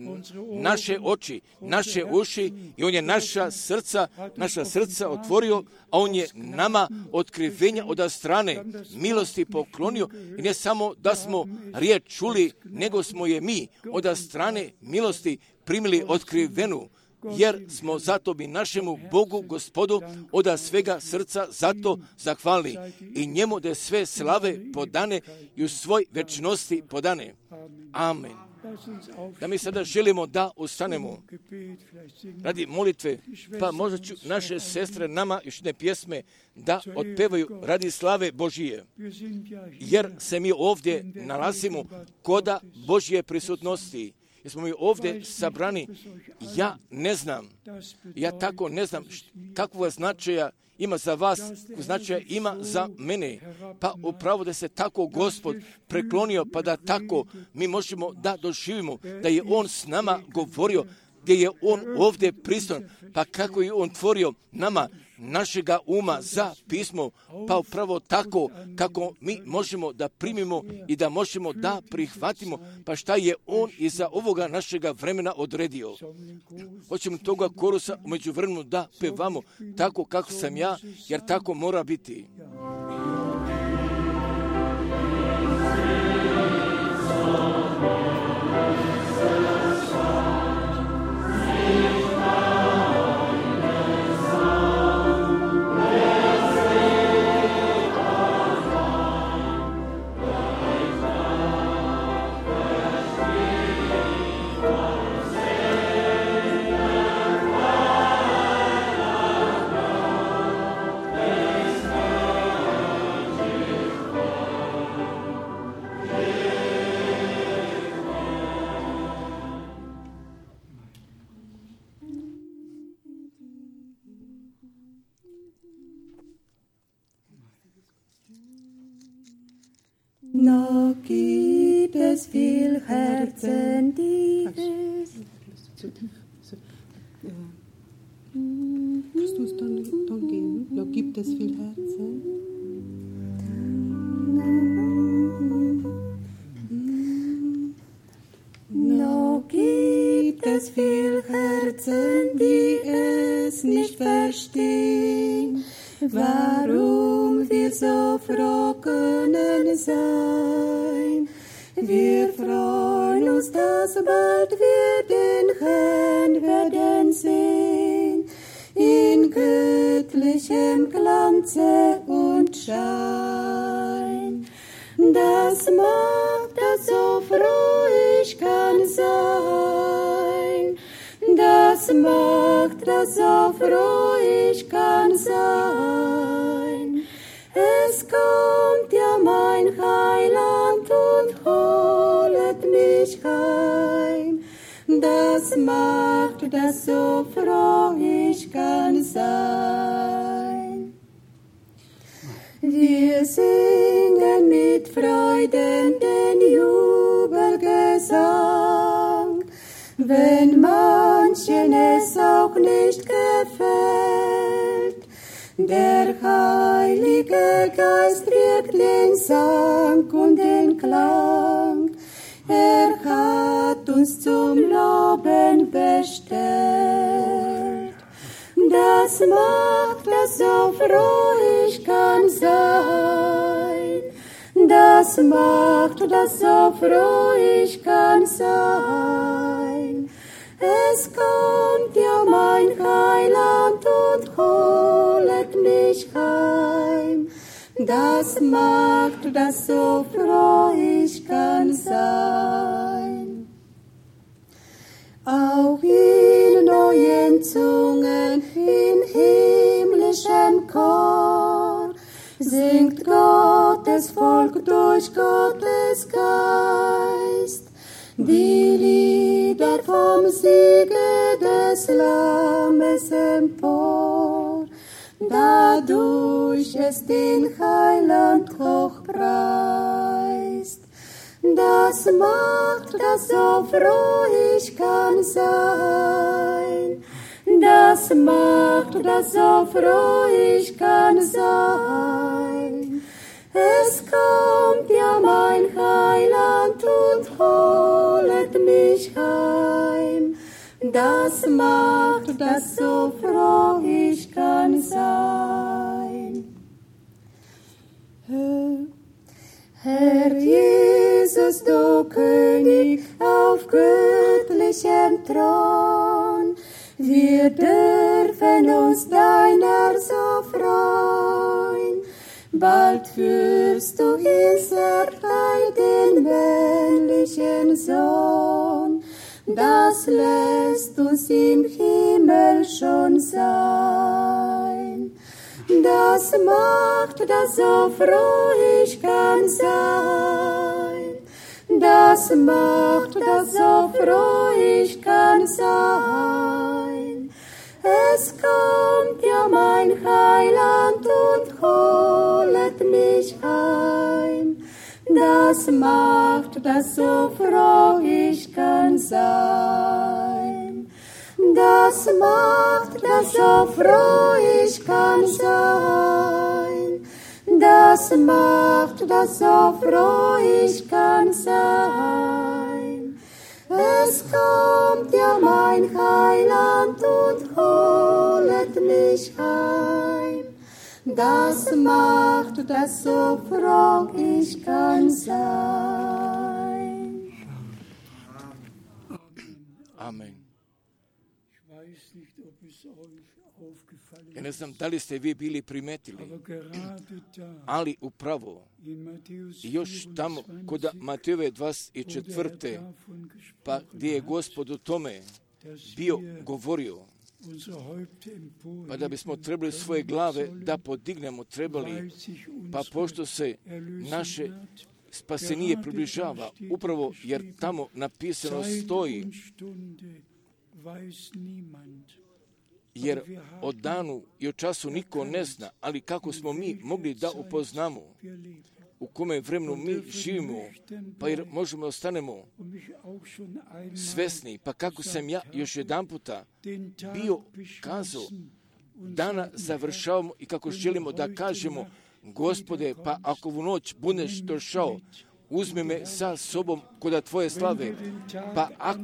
naše oči, naše uši i On je naša srca otvorio, a On je nama otkrivenja od strane milosti poklonio. I ne samo da smo riječ čuli, nego smo je mi od strane milosti primili otkrivenu, jer smo zato bi našemu Bogu, Gospodu, od svega srca zato zahvalni i njemu da sve slave podane i u svoj večnosti podane. Amen. Da mi sada želimo da ustanemo radi molitve, pa možda ću naše sestre nama još ne pjesme da otpevaju radi slave Božije, jer se mi ovdje nalazimo koda Božje prisutnosti. Jer smo mi ovdje sabrani, ja ne znam, ja tako ne znam kakvog značaja ima za vas, značaja ima za mene. Pa upravo da se tako Gospod preklonio, pa da tako mi možemo da doživimo, da je On s nama govorio, gdje je On ovdje prisutan, pa kako je On tvorio nama našega uma za pismo, pa upravo tako kako mi možemo da primimo i da možemo da prihvatimo, pa šta je On iza ovoga našega vremena odredio. Hoćemo toga korusa umeđu vremenu da pevamo tako kako sam ja, jer tako mora biti. Noch gibt es viel Herzen, die es... Kannst du es dann geben? Noch gibt es viel Herzen. Noch gibt es viel Herzen, die es nicht verstehen, warum wir so froh können sein. Wir freuen uns, dass bald wir den Herrn werden sehen, in göttlichem Glanze und Schein. Das macht, dass so froh ich kann sein. Das macht, dass so froh ich kann sein. Es kommt ja mein Heiland und holet mich heim. Das macht, dass so froh ich kann sein. Wir singen mit Freuden den Jubelgesang, wenn manchen es auch nicht gefällt. Der Heilige Geist wirkt den Sang und den Klang. Er hat uns zum Loben bestellt. Das macht, dass so froh ich kann sein. Das macht, dass so froh ich kann sein. Es kommt ja mein Heiland und holet mich heim. Das macht, dass so froh ich kann sein. Auch in neuen Zungen, in himmlischem Chor, singt Gottes Volk durch Gottes Geist die Lieder vom Siege des Lammes empor, dadurch es den Heiland hochpreist. Das macht, dass so froh ich kann sein. Das macht, dass so froh ich kann sein. Es kommt ja mein Heiland und holet mich heim. Das macht, dass so froh ich kann sein. Herr Jesus, du König auf göttlichem Thron, wir dürfen uns deiner so freuen. Bald führst du ins Erdreich den männlichen Sohn, das lässt uns im Himmel schon sein. Das macht, dass so froh ich kann sein. Das macht, dass so froh ich kann sein. Es kommt ja mein Heiland und holet mich heim. Das macht, dass so froh ich kann sein. Das macht, dass so froh ich kann sein. Das macht, dass so froh ich kann sein. Es kommt ja mein Heiland und holet mich heim. Das macht, dass so froh ich kann sein. Amen. Ja ne znam da li ste vi bili primetili, ali upravo još tamo kod Matejove 24. pa gdje je Gospod o tome bio govorio, pa da bismo trebali svoje glave da podignemo trebali, pa pošto se naše spasenije približava, upravo jer tamo napisano stoji, jer o danu i o času niko ne zna, ali kako smo mi mogli da upoznamo, u kome vremenu mi živimo, pa jer možemo ostanemo svesni, pa kako sam ja još jedan puta bio kazao, dana završavamo i kako želimo da kažemo, Gospode, pa ako u noć budeš došao, uzmi me sa sobom kod tvoje slave, pa ako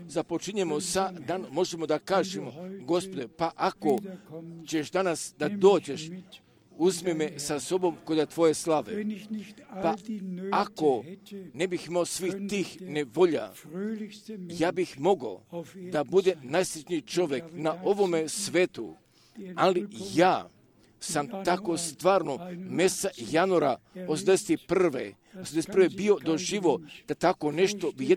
započinjemo sa dan, možemo da kažemo, Gospode, pa ako ćeš danas da dođeš, uzmi me sa sobom kod tvoje slave. Pa ako ne bih imao svih tih nevolja, ja bih mogao da bude najsrećniji čovjek na ovome svetu, ali ja sam tako stvarno mjeseca januara 81. bio doživo da tako nešto bi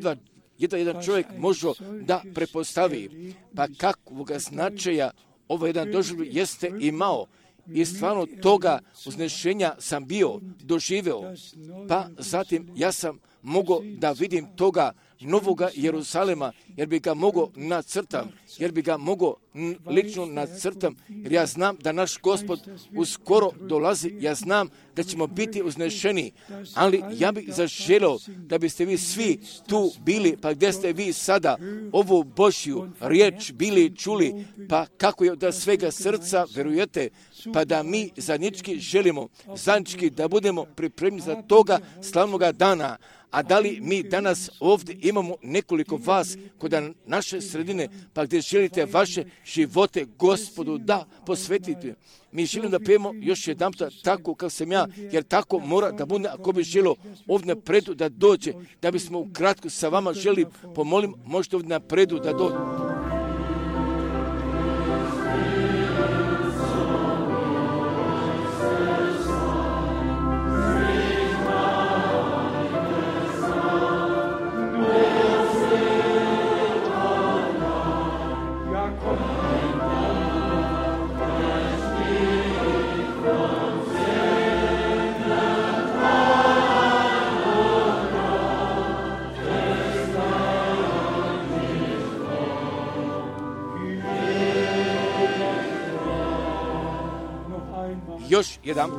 jedan čovjek može da prepostavi. Pa kakvog značaja ovaj jedan doživljaj jeste imao. I stvarno toga uznešenja sam bio doživeo. Pa zatim ja sam mogao da vidim toga novoga Jeruzalema, jer bi ga mogao nacrtam, jer bi ga mogao lično nacrtam, jer ja znam da naš Gospod uskoro dolazi, ja znam da ćemo biti uznešeni, ali ja bih zaželio da biste vi svi tu bili, pa gdje ste vi sada ovu Božju riječ bili čuli, pa kako je da svega srca verujete, pa da mi zajednički želimo, zajednički da budemo pripremni za toga slavnoga dana. A da li mi danas ovdje imamo nekoliko vas kod naše sredine, pa gdje želite vaše živote Gospodu da posvetite? Mi želimo da pijemo još jedan puta tako kao sam ja, jer tako mora da bude ako bi želio ovdje napredu da dođe, da bismo ukratko sa vama želi pomolim, možete ovdje napredu da dođe. Još jedan.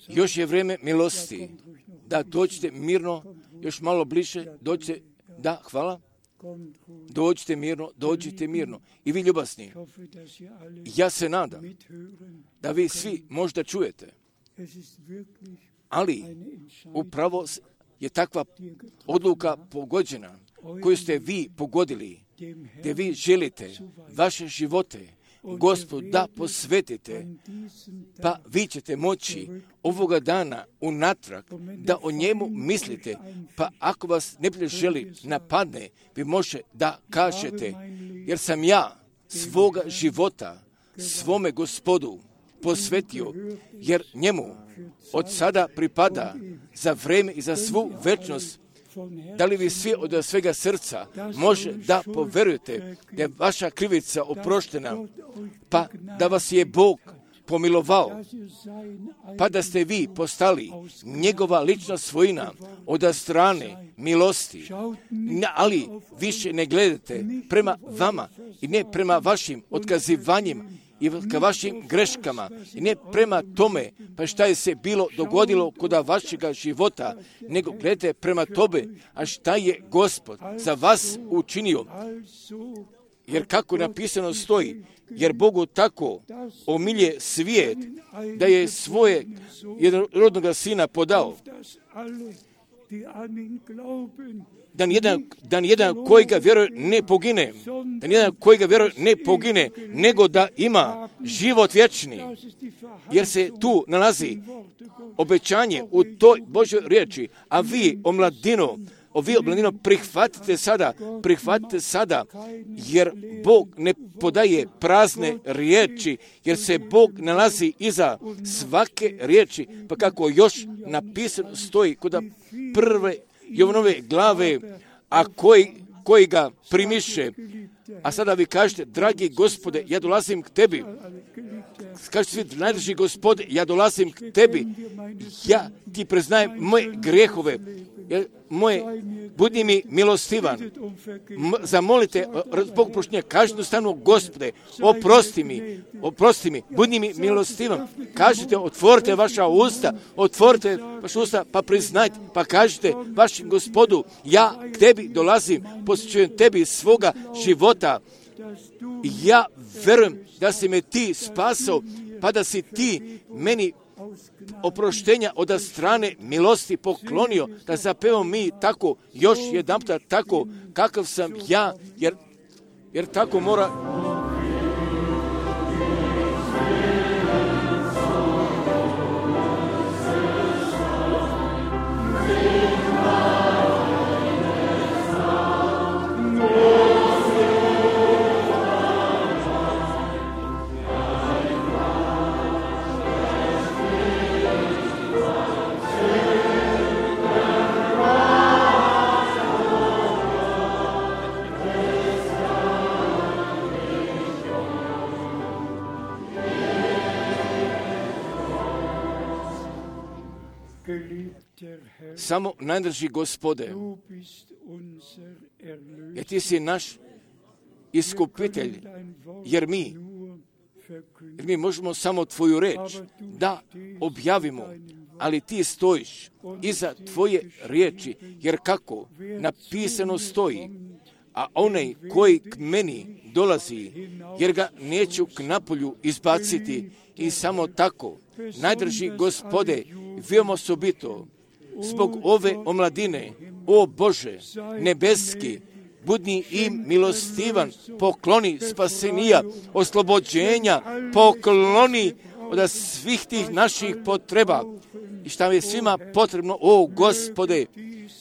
Još je vrijeme milosti, da dođete mirno, još malo bliže, dođite, da, hvala, dođite mirno. I vi ljubasni, ja se nadam da vi svi možda čujete, ali upravo je takva odluka pogođena, koju ste vi pogodili, gdje vi želite vaše živote Gospod da posvetite, pa vi ćete moći ovoga dana unatrag da o njemu mislite, pa ako vas neprijatelj želi napadne, vi može da kažete, jer sam ja svoga života svome Gospodu posvetio, jer njemu od sada pripada za vrijeme i za svu večnost. Da li vi svi od svega srca može da poverujete da je vaša krivica oproštena, pa da vas je Bog pomilovao, pa da ste vi postali njegova lična svojina od strane milosti, ali više ne gledate prema vama i ne prema vašim otkazivanjima i ka vašim greškama i ne prema tome pa šta je se bilo dogodilo kod vašega života, nego gledajte prema tobe, a šta je Gospod za vas učinio. Jer kako napisano stoji, jer Bogu tako omilje svijet da je svoje jednorodnoga sina podao, da nijedan koji ga vjeruje ne pogine, nego da ima život vječni. Jer se tu nalazi obećanje u toj Božoj riječi, a vi, omladino, vi omladino prihvatite sada, jer Bog ne podaje prazne riječi, jer se Bog nalazi iza svake riječi, pa kako još napisano stoji kod prve Jovanove glave, a koji ga primiše. A sada vi kažete, dragi Gospode, ja dolazim k tebi. Kažete svi, najdraži Gospode, ja dolazim k tebi. Ja ti priznajem moje grehove. Budi mi milostivan. Zamolite zbog proštenja. Kažete jednostavno, Gospode, oprosti mi, budi mi milostivan. Kažete, otvorite vaša usta, pa priznajte, pa kažete vašem Gospodu, ja k tebi dolazim, posvećujem tebi svoga života. Ja verujem da si me ti spasao, pa da si ti meni oproštenja od strane milosti poklonio, da zapevamo mi tako, još jedanputa tako, kakav sam ja, jer tako mora. Samo najdraži Gospode, jer ti si naš iskupitelj, jer mi možemo samo tvoju reč da objavimo, ali ti stojiš iza tvoje riječi, jer kako napisano stoji, a onaj koji k meni dolazi, jer ga neću k napolju izbaciti, i samo tako, najdraži Gospode, veoma osobito, zbog ove omladine, o Bože, nebeski, budi im milostivan, pokloni spasenija, oslobođenja, pokloni od svih tih naših potreba. I šta je svima potrebno, o Gospode,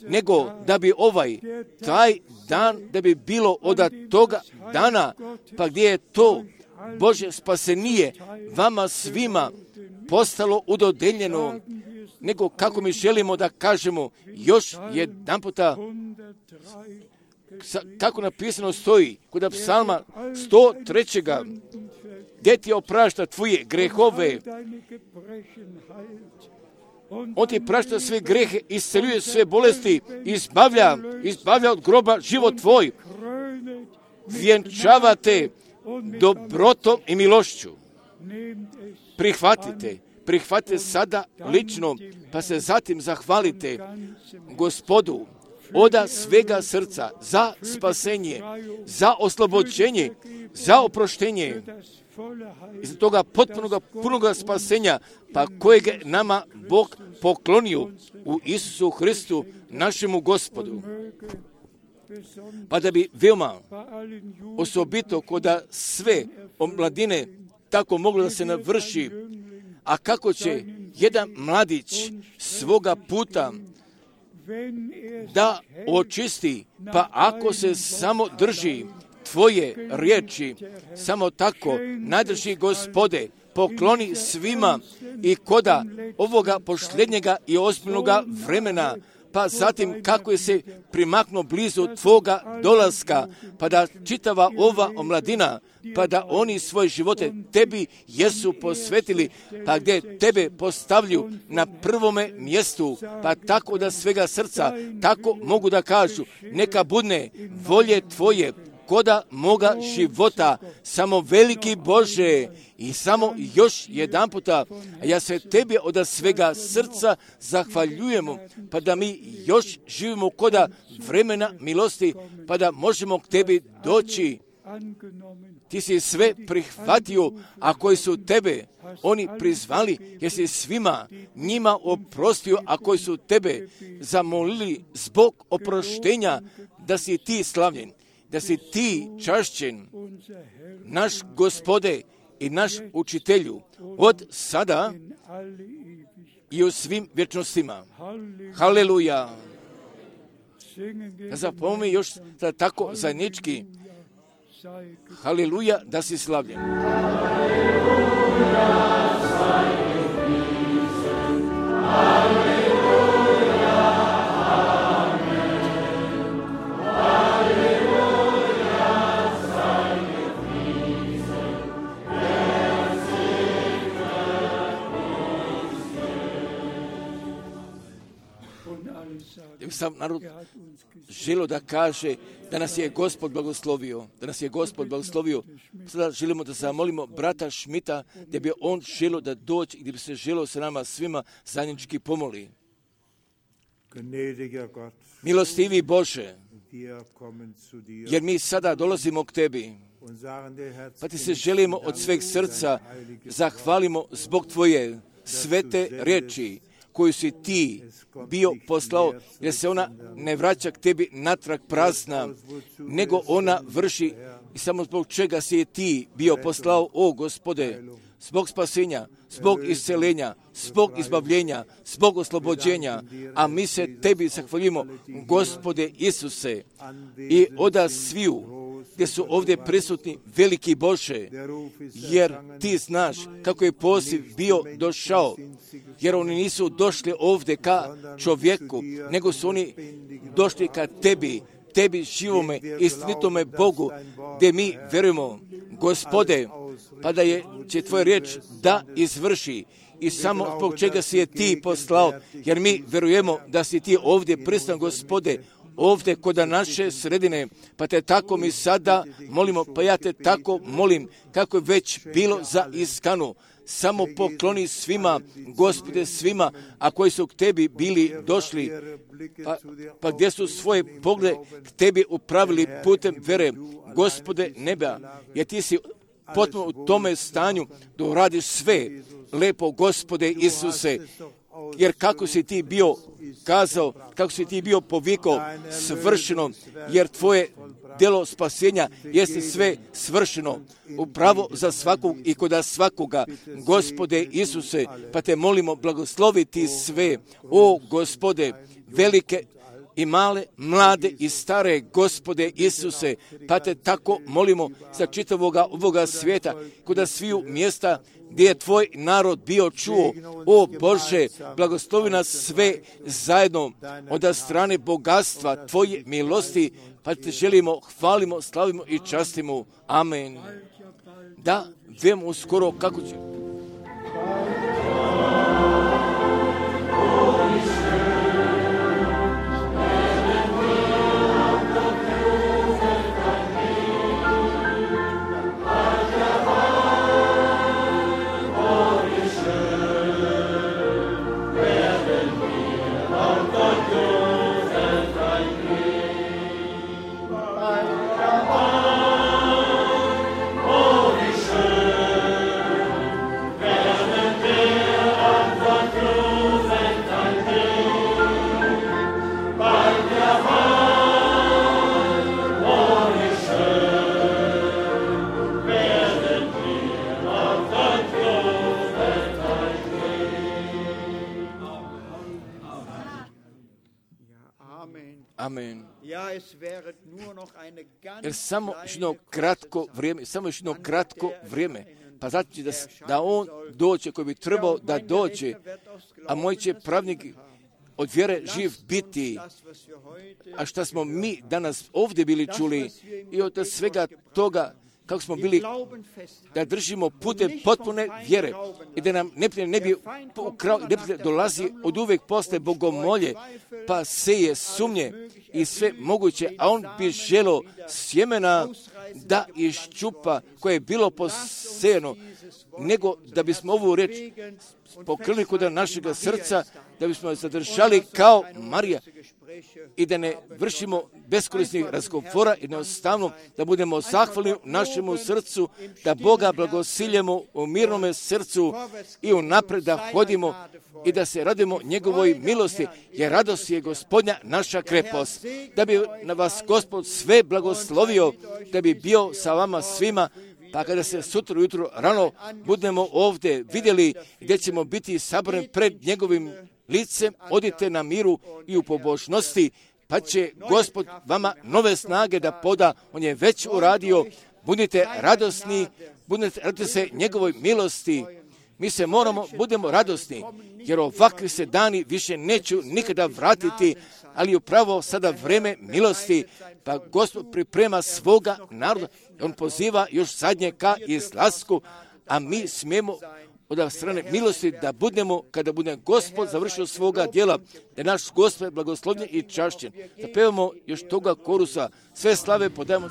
nego da bi taj dan, da bi bilo od toga dana, pa gdje je to Bože spasenije vama svima postalo udodeljeno, nego kako mi želimo da kažemo još jedanputa, kako napisano stoji kod psalma 103. gdje ti oprašta tvoje grehove, on ti prašta sve grehe, isceljuje sve bolesti, izbavlja od groba život tvoj, vjenčava te dobrotom i milošću. Prihvatite sada lično, pa se zatim zahvalite Gospodu od svega srca za spasenje, za oslobođenje, za oproštenje, iz toga punoga spasenja, pa kojeg nama Bog poklonio u Isusu Hristu, našemu Gospodu. Pa da bi veoma osobito kod sve omladine tako moglo da se navrši, a kako će jedan mladić svoga puta da očisti, pa ako se samo drži tvoje riječi, samo tako, najdraži Gospode, pokloni svima i koda ovoga posljednjega i ozbiljnoga vremena, pa zatim kako je se primaknuo blizu tvoga dolaska, pa da čitava ova omladina, pa da oni svoje živote tebi jesu posvetili, pa gdje tebe postavlju na prvome mjestu, pa tako da svega srca, tako mogu da kažu, neka budne volje tvoje, koda moga života, samo veliki Bože, i samo još jedanputa, ja se tebi od svega srca zahvaljujemo, pa da mi još živimo koda vremena milosti, pa da možemo k tebi doći. Ti si sve prihvatio, a koji su tebe oni prizvali, jer si svima njima oprostio, a koji su tebe zamolili zbog oproštenja, da si ti slavljen, da si ti čašćen, naš Gospode i naš učitelju, od sada i u svim vječnostima. Haleluja! Da zapomni još da tako zajednički. Haleluja, da si slavljen. Sam narod želio da kaže da nas je Gospod blagoslovio, Sada želimo da zamolimo brata Šmita da bi on želio da dođe i da bi se želio sa nama svima zajednički pomoli. Milostivi Bože, jer mi sada dolazimo k Tebi, pa Ti se želimo od sveg srca zahvalimo zbog Tvoje svete riječi koju si Ti bio poslao, jer se ona ne vraća k Tebi natrag prazna, nego ona vrši i samo zbog čega si je Ti bio poslao, o Gospode, zbog spasenja, zbog isceljenja, zbog izbavljenja, zbog oslobođenja, a mi se Tebi zahvaljujemo, Gospode Isuse, i oda sviju gdje su ovdje prisutni veliki Bože, jer Ti znaš kako je poziv bio došao, jer oni nisu došli ovdje ka čovjeku, nego su oni došli ka Tebi živome i istinitome Bogu, gdje mi vjerujemo, Gospode, pa da će Tvoja riječ da izvrši i samo zbog čega si je Ti poslao, jer mi vjerujemo da si Ti ovdje prisutan, Gospode, ovdje kod naše sredine, pa Te tako mi sada molimo, pa ja Te tako molim, kako je već bilo za Iskanu. Samo pokloni svima, Gospode, svima, a koji su k Tebi bili došli, pa gdje su svoje poglede k Tebi upravili putem vere, Gospode neba, jer Ti si potpuno u tome stanju da uradiš sve lepo, Gospode Isuse, jer kako si Ti bio kazao, kako si Ti bio povikao, svršeno, jer Tvoje djelo spasenja jeste sve svršeno, upravo za svakog i kod svakoga, Gospode Isuse, pa Te molimo blagosloviti sve, o Gospode, velike i male, mlade i stare, Gospode Isuse, pa Te tako molimo za čitavoga ovoga svijeta, kod sviju mjesta gdje je Tvoj narod bio čuo, o Bože, blagoslovi nas sve zajedno od strane bogatstva Tvoje milosti, pa Te želimo, hvalimo, slavimo i častimo. Amen. Da, vemo uskoro kako će. Amen. Jer samo jedno kratko vrijeme, pa znači da on dođe koji bi trebao da dođe, a moj će pravnik od vjere živ biti. A šta smo mi danas ovdje bili čuli i od svega toga kako smo bili, da držimo putem potpune vjere i da nam neprijatelj ne bi ukrao, neprijatelj dolazi od uvijek posle bogomolje, pa seje sumnje i sve moguće, a on bi želio sjemena da iščupa koje je bilo posejano, nego da bismo ovu riječ pokrili kod našega srca, da bismo zadržali kao Marija i da ne vršimo beskorisnih razgovora, jednostavno da budemo zahvalni u našemu srcu, da Boga blagosiljemo u mirnome srcu i unapred da hodimo i da se radimo njegovoj milosti, jer radost je Gospodnja naša krepost. Da bi na vas Gospod sve blagoslovio, da bi bio sa vama svima, pa kada se sutra ujutro rano budemo ovdje vidjeli gdje ćemo biti sabrani pred njegovim licem, odite na miru i u pobožnosti, pa će Gospod vama nove snage da poda. On je već uradio. Budite radosni, radite se njegovoj milosti. Mi se budemo radosni, jer ovakvi se dani više neću nikada vratiti, ali upravo sada vreme milosti, pa Gospod priprema svoga naroda. On poziva još zadnje ka izlasku, a mi smijemo od strane milosti da budemo, kada bude Gospod završio svoga djela, da naš Gospod blagoslovljen i čašćen. Da pevamo još toga korusa, sve slave podajemo.